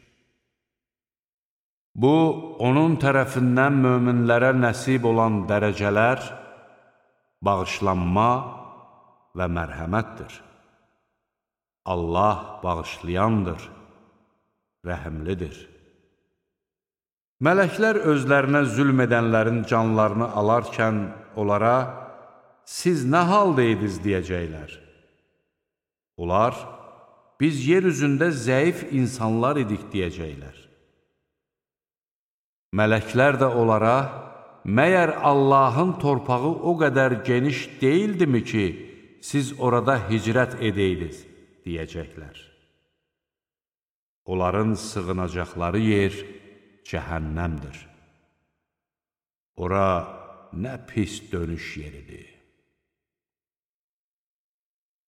Speaker 1: Bu, onun tərəfindən möminlərə nəsib olan dərəcələr, bağışlanma və mərhəmətdir. Allah bağışlayandır, rəhimlidir. Mələklər özlərinə zülm edənlərin canlarını alarkən onlara, siz nə haldaydınız deyəcəklər. Onlar, biz yer üzündə zəif insanlar idik deyəcəklər. Mələklər də onlara, məyər Allahın torpağı o qədər geniş deyildimi ki, siz orada hicrət edəydiniz, deyəcəklər. Onların sığınacaqları yer cəhənnəmdir. Ora nə pis dönüş yeridir.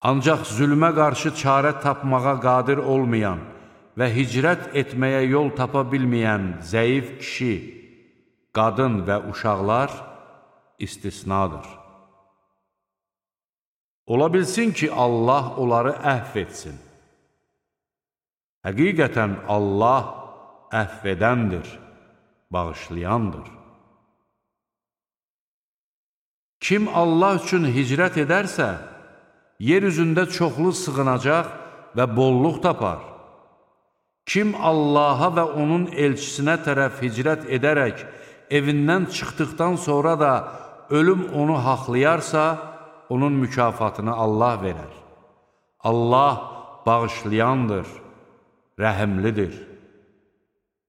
Speaker 1: Ancaq zülmə qarşı çarə tapmağa qadir olmayan və hicrət etməyə yol tapa bilməyən zəif kişi, qadın və uşaqlar istisnadır. Ola bilsin ki, Allah onları əhv etsin. Həqiqətən Allah əhv edəndir, bağışlayandır. Kim Allah üçün hicrət edərsə, yer üzündə çoxlu sığınacaq və bolluq tapar. Kim Allaha və onun elçisinə tərəf hicrət edərək, evindən çıxdıqdan sonra da ölüm onu haqlayarsa, onun mükafatını Allah verər. Allah bağışlayandır, rəhimlidir.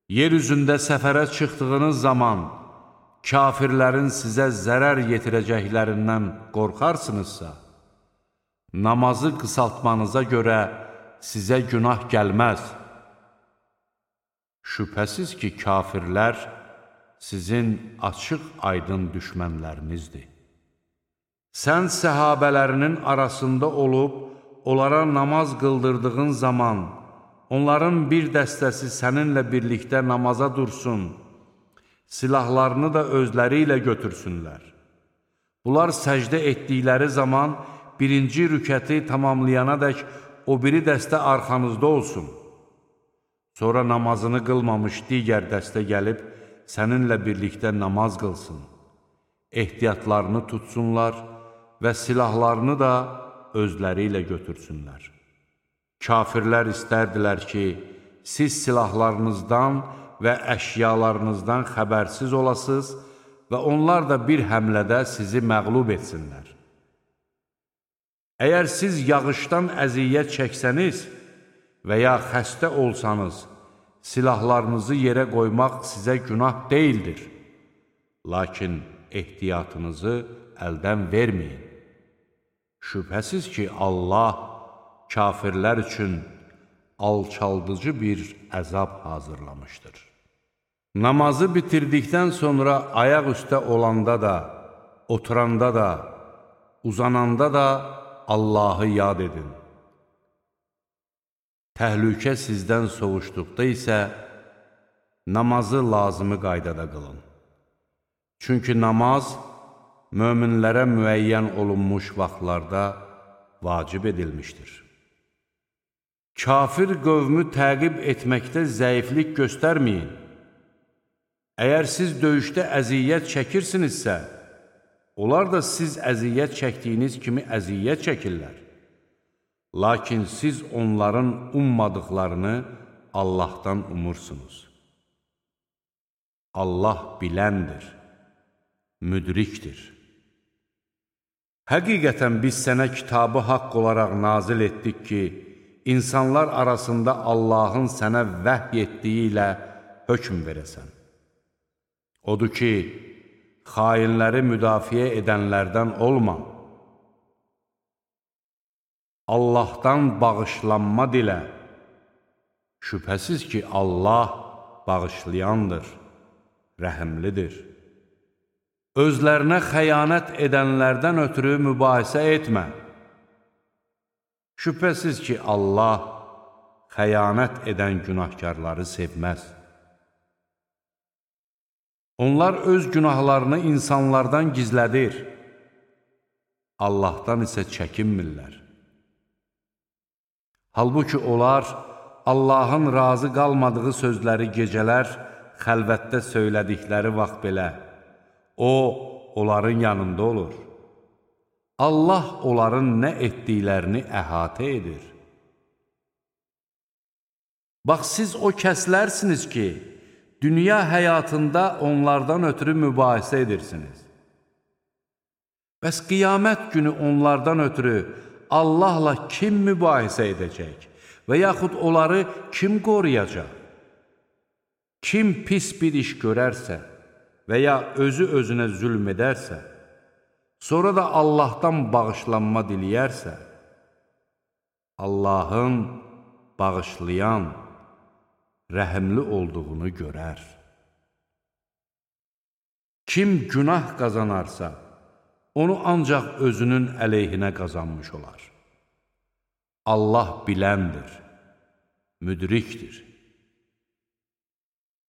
Speaker 1: Yer üzündə səfərə çıxdığınız zaman, kafirlərin sizə zərər yetirəcəklərindən qorxarsınızsa, namazı qısaltmanıza görə sizə günah gəlməz. Şübhəsiz ki, kafirlər sizin açıq-aydın düşmənlərinizdir. Sən səhabələrinin arasında olub, onlara namaz qıldırdığın zaman, onların bir dəstəsi səninlə birlikdə namaza dursun, silahlarını da özləri ilə götürsünlər. Bunlar səcdə etdikləri zaman, birinci rükəti tamamlayanadək o biri dəstə arxanızda olsun. Sonra namazını qılmamış digər dəstə gəlib, səninlə birlikdə namaz qılsın. Ehtiyatlarını tutsunlar və silahlarını da özləri ilə götürsünlər. Kafirlər istərdilər ki, siz silahlarınızdan və əşyalarınızdan xəbərsiz olasınız və onlar da bir həmlədə sizi məğlub etsinlər. Əgər siz yağışdan əziyyət çəksəniz və ya xəstə olsanız, silahlarınızı yerə qoymaq sizə günah deyildir. Lakin ehtiyatınızı əldən verməyin. Şübhəsiz ki, Allah kafirlər üçün alçaldıcı bir əzab hazırlamışdır. Namazı bitirdikdən sonra ayaq üstə olanda da, oturanda da, uzananda da Allahı yad edin. Təhlükə sizdən soğuşduqda isə namazı lazımı qaydada qılın. Çünki namaz möminlərə müəyyən olunmuş vaxtlarda vacib edilmişdir. Kafir qövmü təqib etməkdə zəiflik göstərməyin. Əgər siz döyüşdə əziyyət çəkirsinizsə, onlar da siz əziyyət çəkdiyiniz kimi əziyyət çəkirlər. Lakin siz onların ummadıqlarını Allahdan umursunuz. Allah biləndir, müdrikdir. Həqiqətən biz sənə kitabı haqq olaraq nazil etdik ki, insanlar arasında Allahın sənə vəhy etdiyi ilə hökm verəsən. Odur ki, xainləri müdafiə edənlərdən olma. Allahdan bağışlanma dilə. Şübhəsiz ki, Allah bağışlayandır, rəhimlidir. Özlərinə xəyanət edənlərdən ötürü mübahisə etmə. Şübhəsiz ki, Allah xəyanət edən günahkarları sevməz. Onlar öz günahlarını insanlardan gizlədir. Allahdan isə çəkinmirlər. Halbuki onlar Allahın razı qalmadığı sözləri gecələr xəlvətdə söylədikləri vaxt belə, O, onların yanında olur. Allah onların nə etdiklərini əhatə edir. Bax, siz o kəslərsiniz ki, dünya həyatında onlardan ötürü mübahisə edirsiniz. Bəs qiyamət günü onlardan ötürü Allahla kim mübahisə edəcək və yaxud onları kim qoruyacaq? Kim pis bir iş görərsə və ya özü özünə zülm edərsə, sonra da Allahdan bağışlanma diləyərsə, Allahın bağışlayan, rəhimli olduğunu görər. Kim günah qazanarsa, onu ancaq özünün əleyhinə qazanmış olar. Allah biləndir, müdrikdir.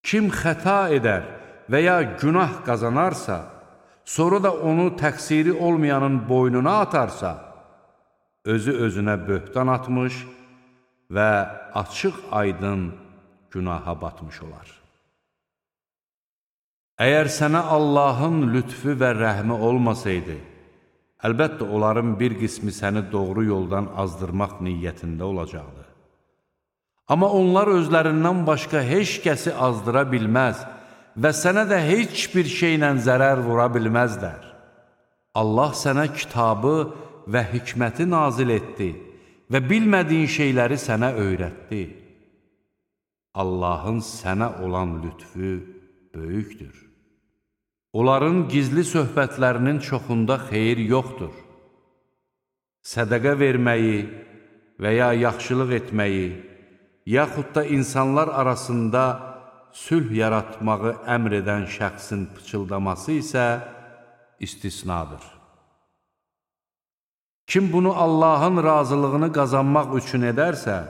Speaker 1: Kim xəta edər və ya günah qazanarsa, sonra da onu təqsiri olmayanın boynuna atarsa, özü özünə böhtan atmış və açıq aydın günaha batmış olar. Əgər sənə Allahın lütfü və rəhmi olmasaydı, əlbəttə onların bir qismi səni doğru yoldan azdırmaq niyyətində olacaqdı. Amma onlar özlərindən başqa heç kəsi azdıra bilməz və sənə də heç bir şeylə zərər vura bilməzlər. Allah sənə kitabı və hikməti nazil etdi və bilmədiyin şeyləri sənə öyrətdi. Allahın sənə olan lütfü böyükdür. Onların gizli söhbətlərinin çoxunda xeyir yoxdur. Sədəqə verməyi və ya yaxşılıq etməyi, yaxud da insanlar arasında sülh yaratmağı əmr edən şəxsin pıçıldaması isə istisnadır. Kim bunu Allahın razılığını qazanmaq üçün edərsə,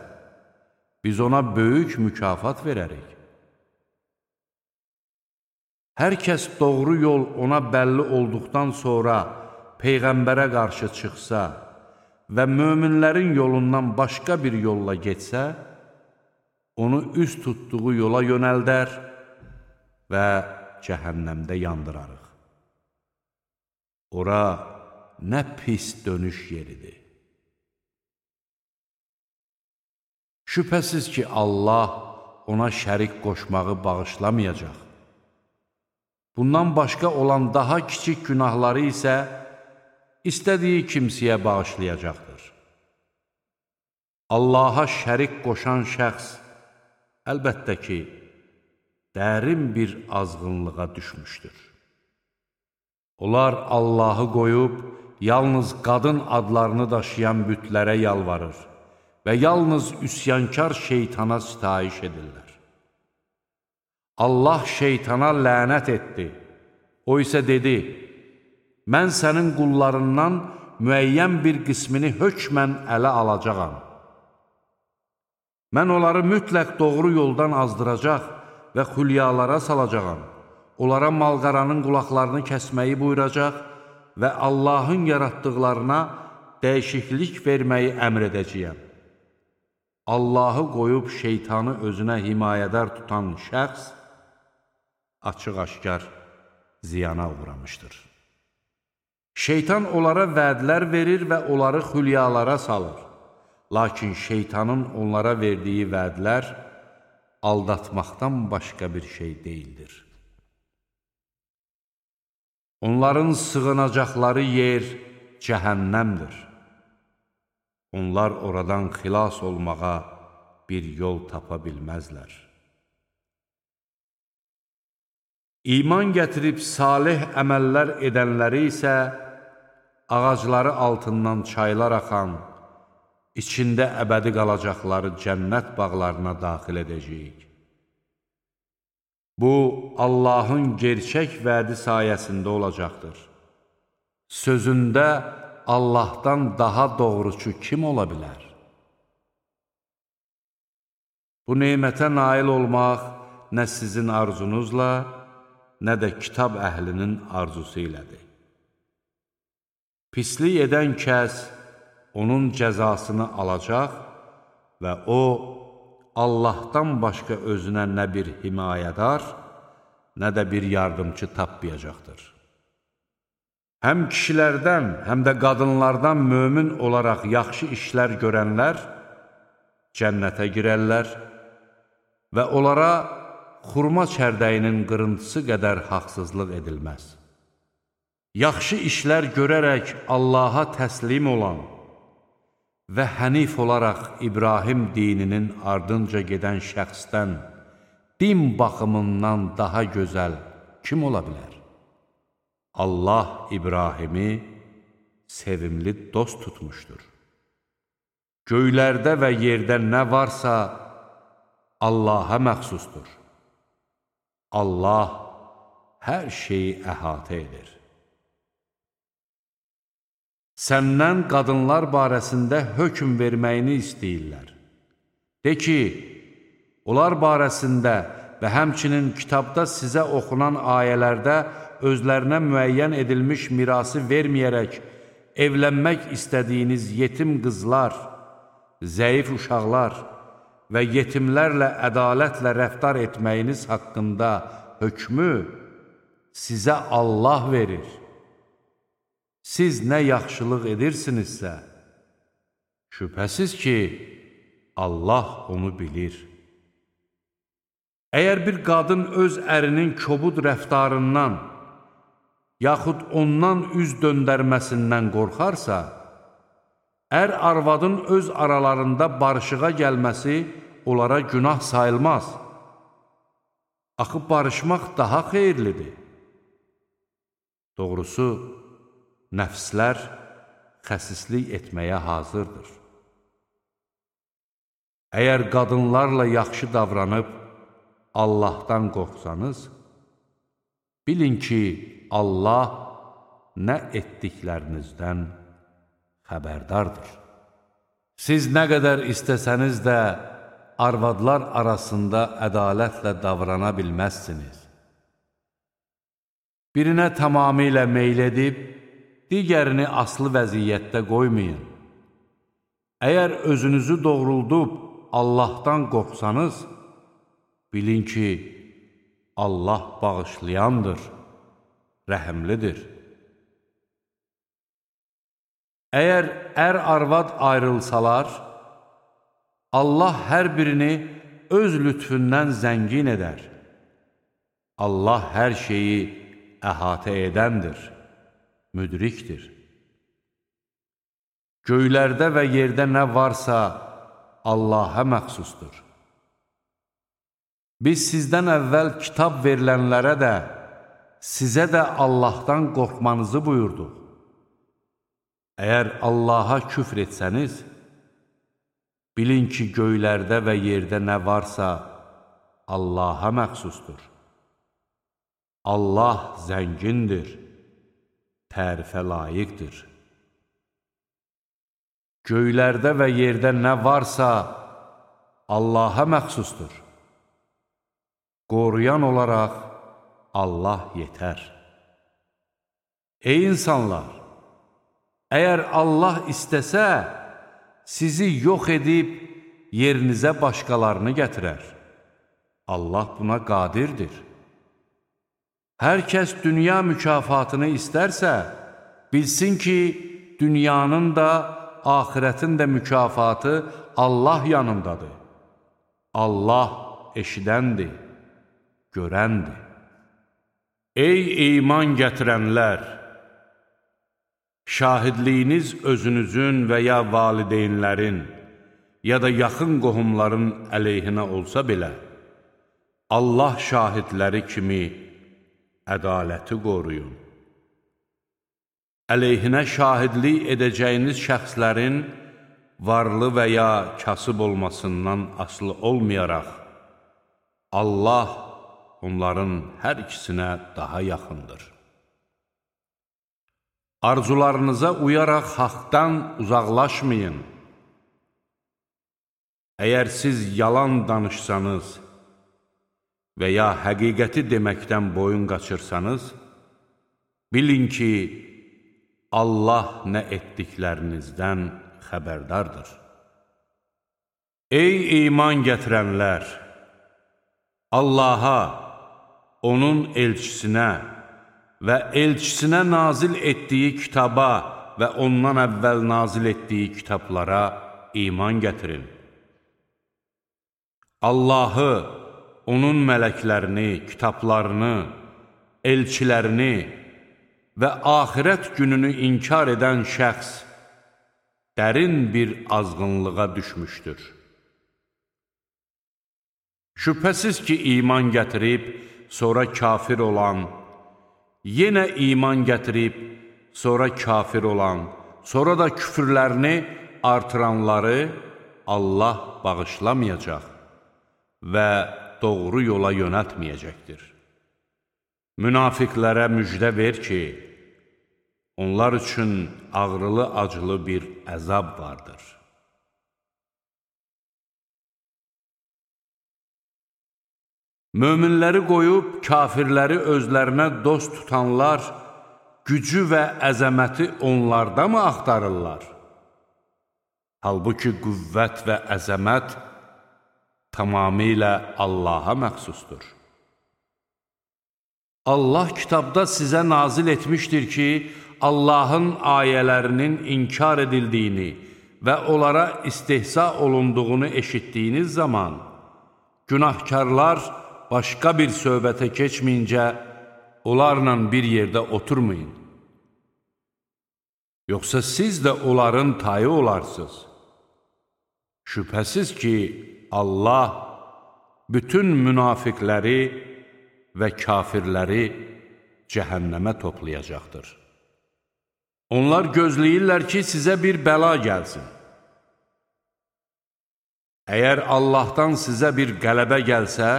Speaker 1: biz ona böyük mükafat verərik. Hər kəs doğru yol ona bəlli olduqdan sonra Peyğəmbərə qarşı çıxsa və möminlərin yolundan başqa bir yolla getsə, onu üz tutduğu yola yönəldər və cəhənnəmdə yandırarıq. Ora nə pis dönüş yeridir. Şübhəsiz ki, Allah ona şərik qoşmağı bağışlamayacaq. Bundan başqa olan daha kiçik günahları isə istədiyi kimsəyə bağışlayacaqdır. Allaha şərik qoşan şəxs əlbəttə ki, dərin bir azğınlığa düşmüşdür. Onlar Allahı qoyub, yalnız qadın adlarını daşıyan bütlərə yalvarır və yalnız üsyankar şeytana sitayiş edirlər. Allah şeytana lənət etdi. O isə dedi, mən sənin qullarından müəyyən bir qismini hökmən ələ alacağam. Mən onları mütləq doğru yoldan azdıracaq və xülyalara salacağam. Onlara malqaranın qulaqlarını kəsməyi buyuracaq və Allahın yaratdıqlarına dəyişiklik verməyi əmr edəcəyəm. Allahı qoyub şeytanı özünə himayədar tutan şəxs açıq-aşkar ziyana uğramışdır. Şeytan onlara vədlər verir və onları xülyalara salır. Lakin şeytanın onlara verdiyi vədlər aldatmaqdan başqa bir şey deyildir. Onların sığınacaqları yer cəhənnəmdir. Onlar oradan xilas olmağa bir yol tapa bilməzlər. İman gətirib salih əməllər edənləri isə ağacları altından çaylar axan, içində əbədi qalacaqları cənnət bağlarına daxil edəcəyik. Bu, Allahın gerçək vədi sayəsində olacaqdır. Sözündə Allahdan daha doğrucu kim ola bilər? Bu neymətə nail olmaq nə sizin arzunuzla, nə də kitab əhlinin arzusu ilədir. Pislik edən kəs onun cəzasını alacaq və o, Allahdan başqa özünə nə bir himayədar, nə də bir yardımcı tapmayacaqdır. Həm kişilərdən, həm də qadınlardan mömin olaraq yaxşı işlər görənlər cənnətə girərlər və onlara xurma çərdəyinin qırıntısı qədər haqsızlıq edilməz. Yaxşı işlər görərək Allaha təslim olan və hənif olaraq İbrahim dininin ardınca gedən şəxsdən din baxımından daha gözəl kim ola bilər? Allah İbrahimi sevimli dost tutmuşdur. Göylərdə və yerdə nə varsa Allaha məxsusdur. Allah hər şeyi əhatə edir. Səndən qadınlar barəsində hökm verməyini istəyirlər. De ki, onlar barəsində və həmçinin kitabda sizə oxunan ayələrdə özlərinə müəyyən edilmiş mirası verməyərək evlənmək istədiyiniz yetim qızlar, zəif uşaqlar və yetimlərlə ədalətlə rəftar etməyiniz haqqında hökmü sizə Allah verir. Siz nə yaxşılıq edirsinizsə, şübhəsiz ki, Allah onu bilir. Əgər bir qadın öz ərinin kobud rəftarından, yaxud ondan üz döndərməsindən qorxarsa, ər arvadın öz aralarında barışığa gəlməsi onlara günah sayılmaz. Axı barışmaq daha xeyirlidir. Doğrusu, nəfslər xəsislik etməyə hazırdır. Əgər qadınlarla yaxşı davranıb Allahdan qorxsanız, bilin ki, Allah nə etdiklərinizdən xəbərdardır. Siz nə qədər istəsəniz də arvadlar arasında ədalətlə davrana bilməzsiniz. Birinə tamamilə meyl edib, digərini asılı vəziyyətdə qoymayın. Əgər özünüzü doğruldub Allahdan qorxsanız, bilin ki, Allah bağışlayandır, rəhimlidir. Əgər ər-arvad ayrılsalar, Allah hər birini öz lütfündən zəngin edər. Allah hər şeyi əhatə edəndir, müdrikdir. Göylərdə və yerdə nə varsa Allaha məxsusdur. Biz sizdən əvvəl kitab verilənlərə də, sizə də Allahdan qorxmanızı buyurduq. Əgər Allaha küfr etsəniz, bilin ki, göylərdə və yerdə nə varsa Allaha məxsusdur. Allah zəngindir, tərifə layiqdir. Göylərdə və yerdə nə varsa Allaha məxsusdur. Qoruyan olaraq Allah yetər. Ey insanlar! Əgər Allah istəsə, sizi yox edib yerinizə başqalarını gətirər. Allah buna qadirdir. Hər kəs dünya mükafatını istərsə, bilsin ki, dünyanın da, axirətin də mükafatı Allah yanındadır. Allah eşidəndir, görəndir. Ey iman gətirənlər! Şahidliyiniz özünüzün və ya valideynlərin, ya da yaxın qohumların əleyhinə olsa belə, Allah şahidləri kimi ədaləti qoruyun. Əleyhinə şahidlik edəcəyiniz şəxslərin varlı və ya kasıb olmasından asılı olmayaraq, Allah onların hər ikisinə daha yaxındır. Arzularınıza uyaraq haqdan uzaqlaşmayın. Əgər siz yalan danışsanız və ya həqiqəti deməkdən boyun qaçırsanız, bilin ki, Allah nə etdiklərinizdən xəbərdardır. Ey iman gətirənlər! Allaha, onun elçisinə və elçisinə nazil etdiyi kitaba və ondan əvvəl nazil etdiyi kitablara iman gətirin. Allahı, onun mələklərini, kitablarını, elçilərini və axirət gününü inkar edən şəxs dərin bir azğınlığa düşmüşdür. Şübhəsiz ki, iman gətirib, sonra kafir olan, yenə iman gətirib, sonra kafir olan, sonra da küfürlərini artıranları Allah bağışlamayacaq və doğru yola yönəltməyəcəkdir. Münafiqlərə müjdə ver ki, onlar üçün ağrılı-acılı bir əzab vardır. Möminləri qoyub kafirləri özlərinə dost tutanlar gücü və əzəməti onlarda mı axtarırlar? Halbuki qüvvət və əzəmət tamamilə Allaha məxsusdur. Allah kitabda sizə nazil etmişdir ki, Allahın ayələrinin inkar edildiyini və onlara istehza olunduğunu eşitdiyiniz zaman, günahkarlar başqa bir söhbətə keçməyincə, onlarla bir yerdə oturmayın. Yoxsa siz də onların tayı olarsınız. Şübhəsiz ki, Allah bütün münafiqləri və kafirləri cəhənnəmə toplayacaqdır. Onlar gözləyirlər ki, sizə bir bəla gəlsin. Əgər Allahdan sizə bir qələbə gəlsə,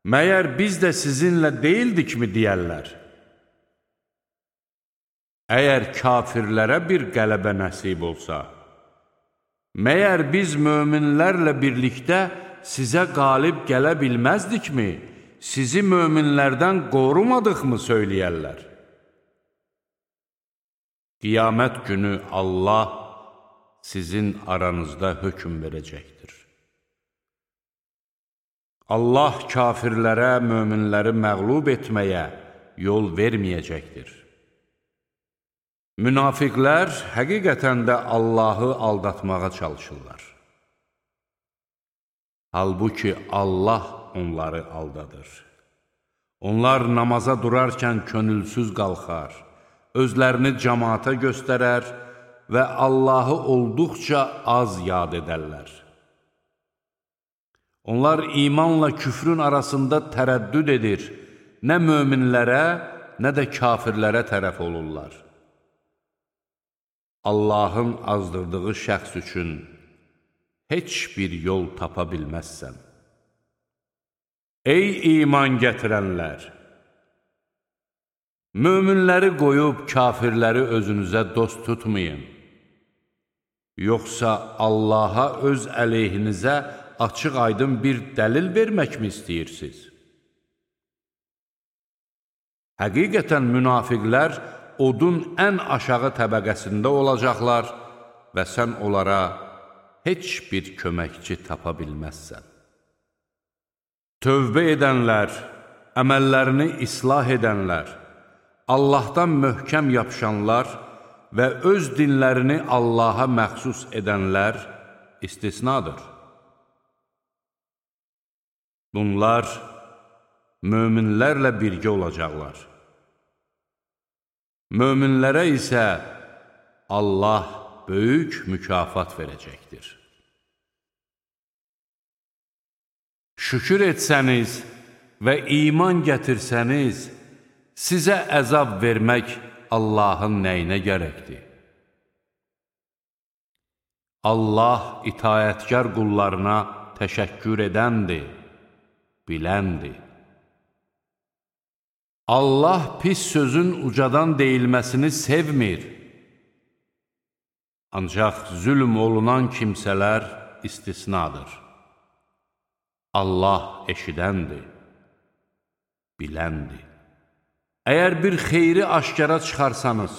Speaker 1: məyər biz də sizinlə deyildikmi deyərlər? Əgər kafirlərə bir qələbə nəsib olsa, məyər biz möminlərlə birlikdə sizə qalib gələ bilməzdikmi, sizi möminlərdən qorumadıqmı söyləyərlər? Qiyamət günü Allah sizin aranızda hökm verəcəkdir. Allah kafirlərə, möminləri məğlub etməyə yol verməyəcəkdir. Münafiqlər həqiqətən də Allahı aldatmağa çalışırlar. Halbuki Allah onları aldadır. Onlar namaza durarkən könülsüz qalxar, özlərini cəmaata göstərər və Allahı olduqca az yad edərlər. Onlar imanla küfrün arasında tərəddüd edir, nə möminlərə, nə də kafirlərə tərəf olurlar. Allahın azdırdığı şəxs üçün heç bir yol tapa bilməzsən. Ey iman gətirənlər! Möminləri qoyub kafirləri özünüzə dost tutmayın. Yoxsa Allaha öz əleyhinizə açıq aydın bir dəlil verməkmi istəyirsiniz? Həqiqətən münafiqlər odun ən aşağı təbəqəsində olacaqlar və sən onlara heç bir köməkçi tapa bilməzsən. Tövbə edənlər, əməllərini islah edənlər, Allahdan möhkəm yapışanlar və öz dinlərini Allaha məxsus edənlər istisnadır. Bunlar möminlərlə birgə olacaqlar. Möminlərə isə Allah böyük mükafat verəcəkdir. Şükür etsəniz və iman gətirsəniz, sizə əzab vermək Allahın nəyinə gərəkdir? Allah itayətkar qullarına təşəkkür edəndir, biləndir. Allah pis sözün ucadan deyilməsini sevmir. Ancaq zülm olunan kimsələr istisnadır. Allah eşidəndir, biləndir. Əgər bir xeyri aşkara çıxarsanız,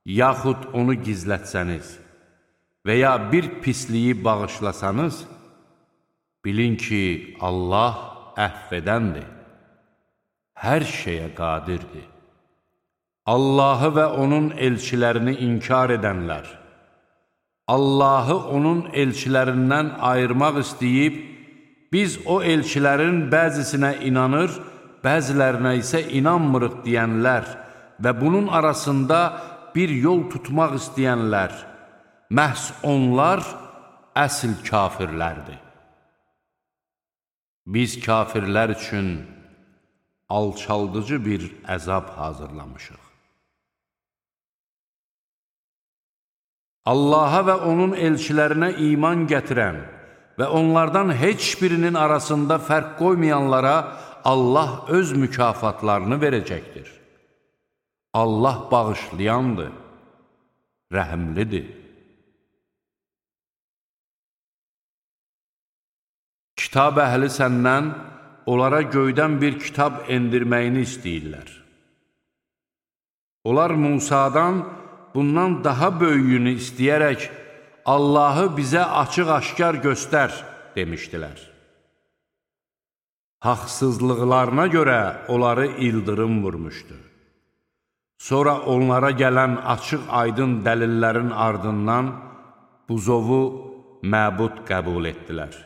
Speaker 1: yaxud onu gizlətsəniz və ya bir pisliyi bağışlasanız, bilin ki, Allah əhv edəndir, hər şeyə qadirdir. Allahı və onun elçilərini inkar edənlər, Allahı onun elçilərindən ayırmaq istəyib, biz o elçilərin bəzisinə inanır, bəzilərinə isə inanmırıq deyənlər və bunun arasında bir yol tutmaq istəyənlər, məhz onlar əsl kafirlərdir. Biz kafirlər üçün alçaldıcı bir əzab hazırlamışıq. Allaha və onun elçilərinə iman gətirən və onlardan heç birinin arasında fərq qoymayanlara Allah öz mükafatlarını verəcəkdir. Allah bağışlayandır, rəhimlidir. Kitab əhli səndən onlara göydən bir kitab endirməyini istəyirlər. Onlar Musadan bundan daha böyüyünü istəyərək Allahı bizə açıq-aşkar göstər demişdilər. Haqsızlıqlarına görə onları ildırım vurmuşdu. Sonra onlara gələn açıq-aydın dəlillərin ardından buzovu məbud qəbul etdilər.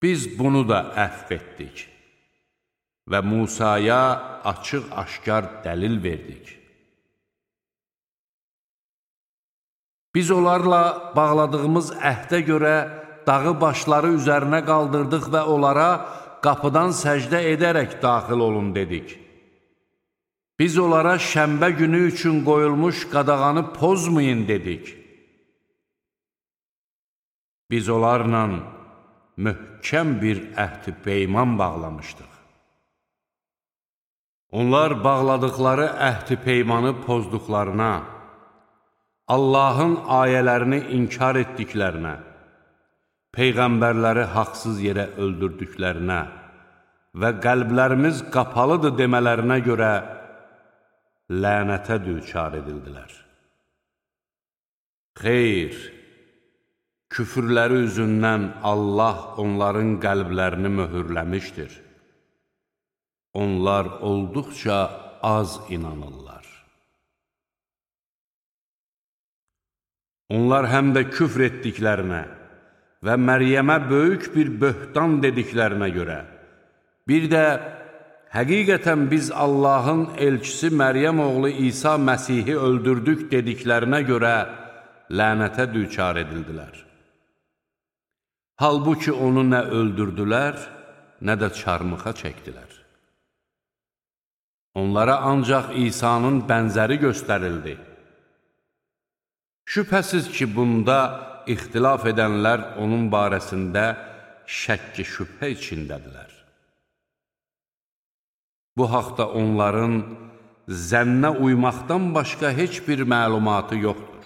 Speaker 1: Biz bunu da əhv etdik və Musaya açıq-aşkar dəlil verdik. Biz onlarla bağladığımız əhdə görə dağı başları üzərinə qaldırdıq və onlara qapıdan səcdə edərək daxil olun dedik. Biz onlara şənbə günü üçün qoyulmuş qadağanı pozmayın dedik. Biz onlarla möhkəm bir əhd-i peyman bağlamışdıq. Onlar bağladıkları əhd-i peymanı pozduqlarına, Allahın ayələrini inkar etdiklərinə, Peyğəmbərləri haqsız yerə öldürdüklərinə və qəlblərimiz qapalıdır demələrinə görə lənətə düçar edildilər. Xeyr, küfürləri üzündən Allah onların qəlblərini möhürləmişdir. Onlar olduqca az inanırlar. Onlar həm də küfr etdiklərinə və Məryəmə böyük bir böhtan dediklərinə görə, bir də həqiqətən biz Allahın elçisi Məryəm oğlu İsa Məsihi öldürdük dediklərinə görə lənətə düçar edildilər. Halbuki onu nə öldürdülər, nə də çarmıxa çəkdilər. Onlara ancaq İsa'nın bənzəri göstərildi. Şübhəsiz ki, bunda ixtilaf edənlər onun barəsində şəkki şübhə içindədirlər. Bu haqda onların zənnə uymaqdan başqa heç bir məlumatı yoxdur.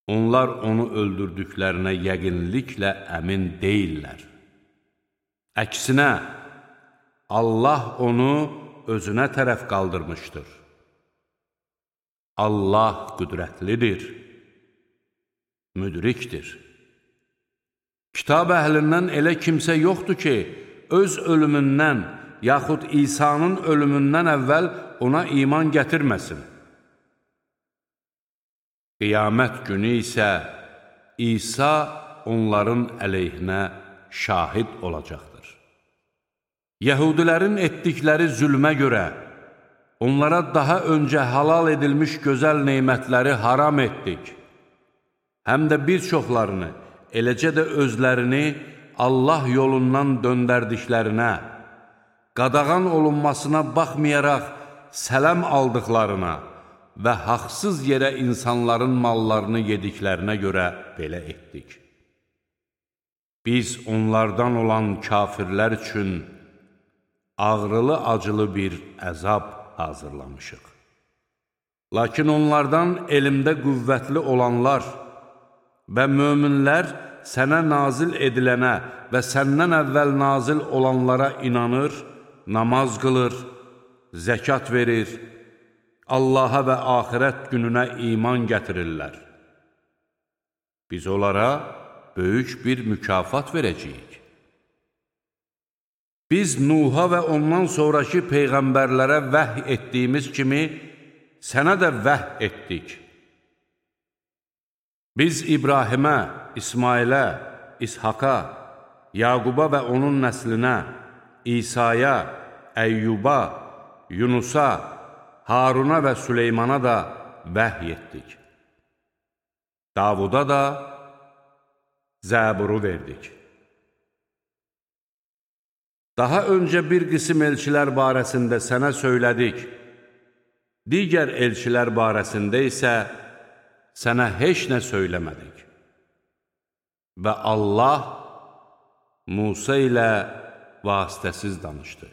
Speaker 1: Onlar onu öldürdüklərinə yəqinliklə əmin deyirlər. Əksinə, Allah onu özünə tərəf qaldırmışdır. Allah qüdrətlidir, müdrikdir. Kitab əhlindən elə kimsə yoxdur ki, öz ölümündən, yaxud İsa'nın ölümündən əvvəl ona iman gətirməsin. Qiyamət günü isə İsa onların əleyhinə şahid olacaqdır. Yəhudilərin etdikləri zülmə görə onlara daha öncə halal edilmiş gözəl neymətləri haram etdik. Həm də bir çoxlarını, eləcə də özlərini Allah yolundan döndərdiklərinə, qadağan olunmasına baxmayaraq sələm aldıqlarına və haqsız yerə insanların mallarını yediklərinə görə belə etdik. Biz onlardan olan kafirlər üçün ağrılı-acılı bir əzab hazırlamışıq. Lakin onlardan elmdə qüvvətli olanlar və möminlər sənə nazil edilənə və səndən əvvəl nazil olanlara inanır, namaz qılır, zəkat verir, Allaha və axirət gününə iman gətirirlər. Biz onlara böyük bir mükafat verəcəyik. Biz Nuha və ondan sonraki peyğəmbərlərə vəhy etdiyimiz kimi sənə də vəhy etdik. Biz İbrahimə, İsmailə, İshaka, Yaquba və onun nəslinə, İsa'ya, Əyyuba, Yunusa, Haruna və Süleymana da vəhy etdik. Davuda da Zəburu verdik. Daha öncə bir qism elçilər barəsində sənə söylədik. Digər elçilər barəsində isə sənə heç nə söyləmədik. Və Allah Musa ilə vasitəsiz danışdı.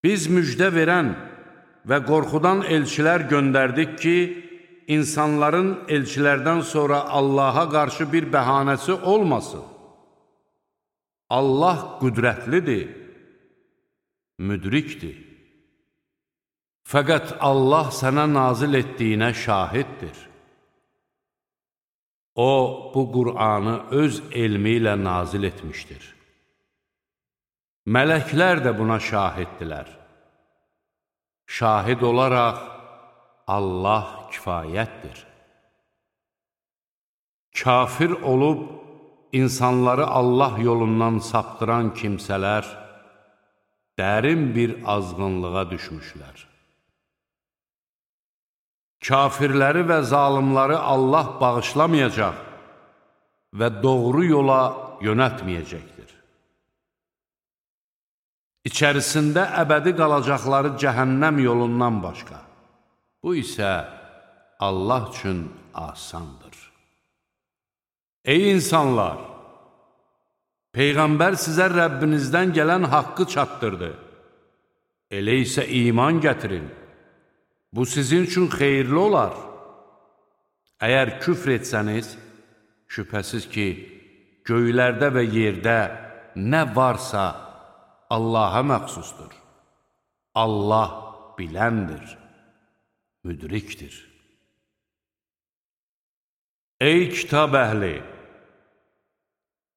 Speaker 1: Biz müjdə verən və qorxudan elçilər göndərdik ki, insanların elçilərdən sonra Allaha qarşı bir bəhanəsi olmasın. Allah qüdrətlidir, müdrikdir. Fəqət Allah sənə nazil etdiyinə şahiddir. O, bu Qur'anı öz elmi ilə nazil etmişdir. Mələklər də buna şahiddirlər. Şahid olaraq Allah kifayətdir. Kafir olub, insanları Allah yolundan saptıran kimsələr dərin bir azğınlığa düşmüşlər. Kafirləri və zalimləri Allah bağışlamayacaq və doğru yola yönətməyəcəkdir. İçərisində əbədi qalacaqları cəhənnəm yolundan başqa. Bu isə Allah üçün asandır. Ey insanlar! Peyğəmbər sizə Rəbbinizdən gələn haqqı çatdırdı. Elə isə iman gətirin. Bu sizin üçün xeyirli olar. Əgər küfr etsəniz, şübhəsiz ki, göylərdə və yerdə nə varsa Allaha məxsusdur. Allah biləndir, müdrikdir. Ey kitab əhli!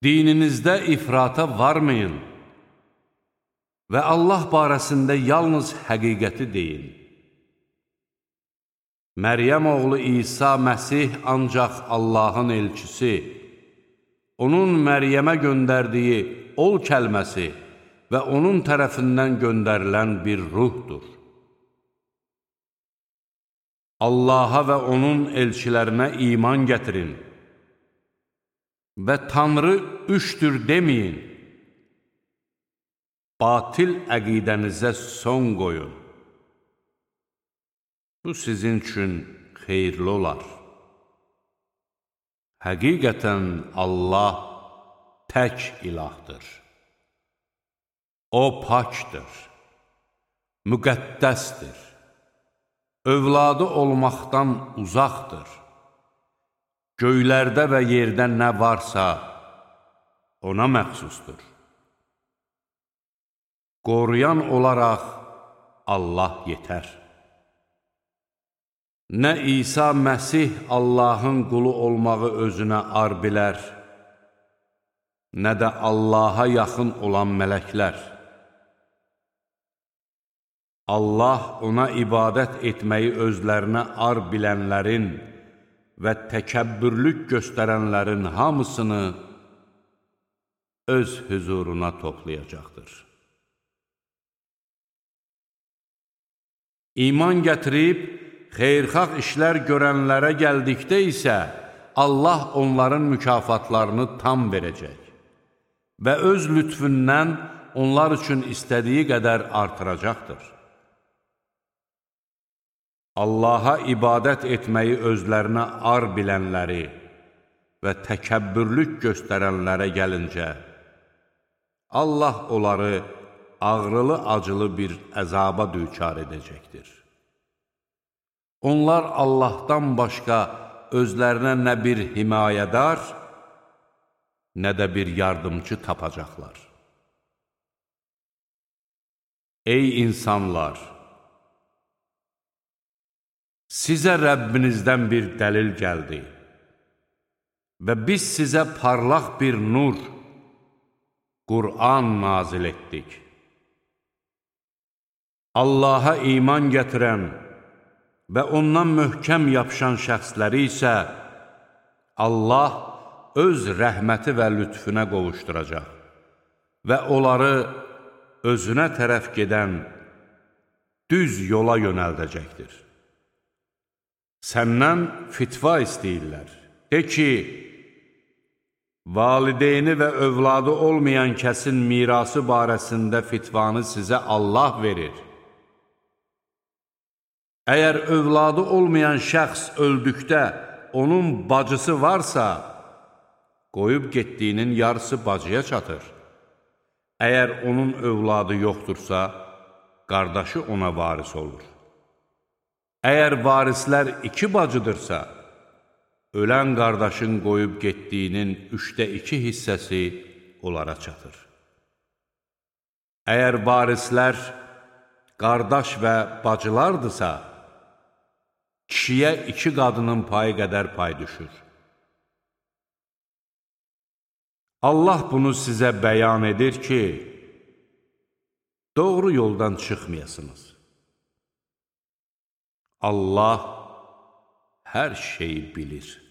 Speaker 1: Dininizdə ifrata varmayın və Allah barəsində yalnız həqiqəti deyin. Məryəm oğlu İsa Məsih ancaq Allahın elçisi, onun Məryəmə göndərdiyi ol kəlməsi və onun tərəfindən göndərilən bir ruhdur. Allaha və onun elçilərinə iman gətirin və Tanrı üçdür deməyin. Batil əqidənizə son qoyun. Bu sizin üçün xeyirli olar. Həqiqətən Allah tək ilahdır. O pakdır, müqəddəsdir, övladı olmaqdan uzaqdır. Göylərdə və yerdə nə varsa ona məxsusdur. Qoruyan olaraq Allah yetər. Nə İsa Məsih Allahın qulu olmağı özünə ar bilər, nə də Allaha yaxın olan mələklər. Allah ona ibadət etməyi özlərinə ar bilənlərin və təkəbbürlük göstərənlərin hamısını öz hüzuruna toplayacaqdır. İman gətirib, xeyirxah işlər görənlərə gəldikdə isə Allah onların mükafatlarını tam verəcək və öz lütfündən onlar üçün istədiyi qədər artıracaqdır. Allaha ibadət etməyi özlərinə ar bilənləri və təkəbbürlük göstərənlərə gəlincə, Allah onları ağrılı-acılı bir əzaba düçar edəcəkdir. Onlar Allahdan başqa özlərinə nə bir himayədar, nə də bir yardımcı tapacaqlar. Ey insanlar! Sizə Rəbbinizdən bir dəlil gəldi və biz sizə parlaq bir nur, Qur'an nazil etdik. Allaha iman gətirən və ondan möhkəm yapışan şəxsləri isə Allah öz rəhməti və lütfüne qovuşduracaq və onları özünə tərəf gedən düz yola yönəldəcəkdir. Səndən fitva istəyirlər. De ki, valideyni və övladı olmayan kəsin mirası barəsində fitvanı sizə Allah verir. Əgər övladı olmayan şəxs öldükdə onun bacısı varsa, qoyub getdiyinin yarısı bacıya çatır. Əgər onun övladı yoxdursa, qardaşı ona varis olur. Əgər varislər iki bacıdırsa, ölən qardaşın qoyub getdiyinin üçdə iki hissəsi onlara çatır. Əgər varislər qardaş və bacılardırsa, kişiyə iki qadının payı qədər pay düşür. Allah bunu sizə bəyan edir ki, doğru yoldan çıxmayasınız. Allah hər şeyi bilir.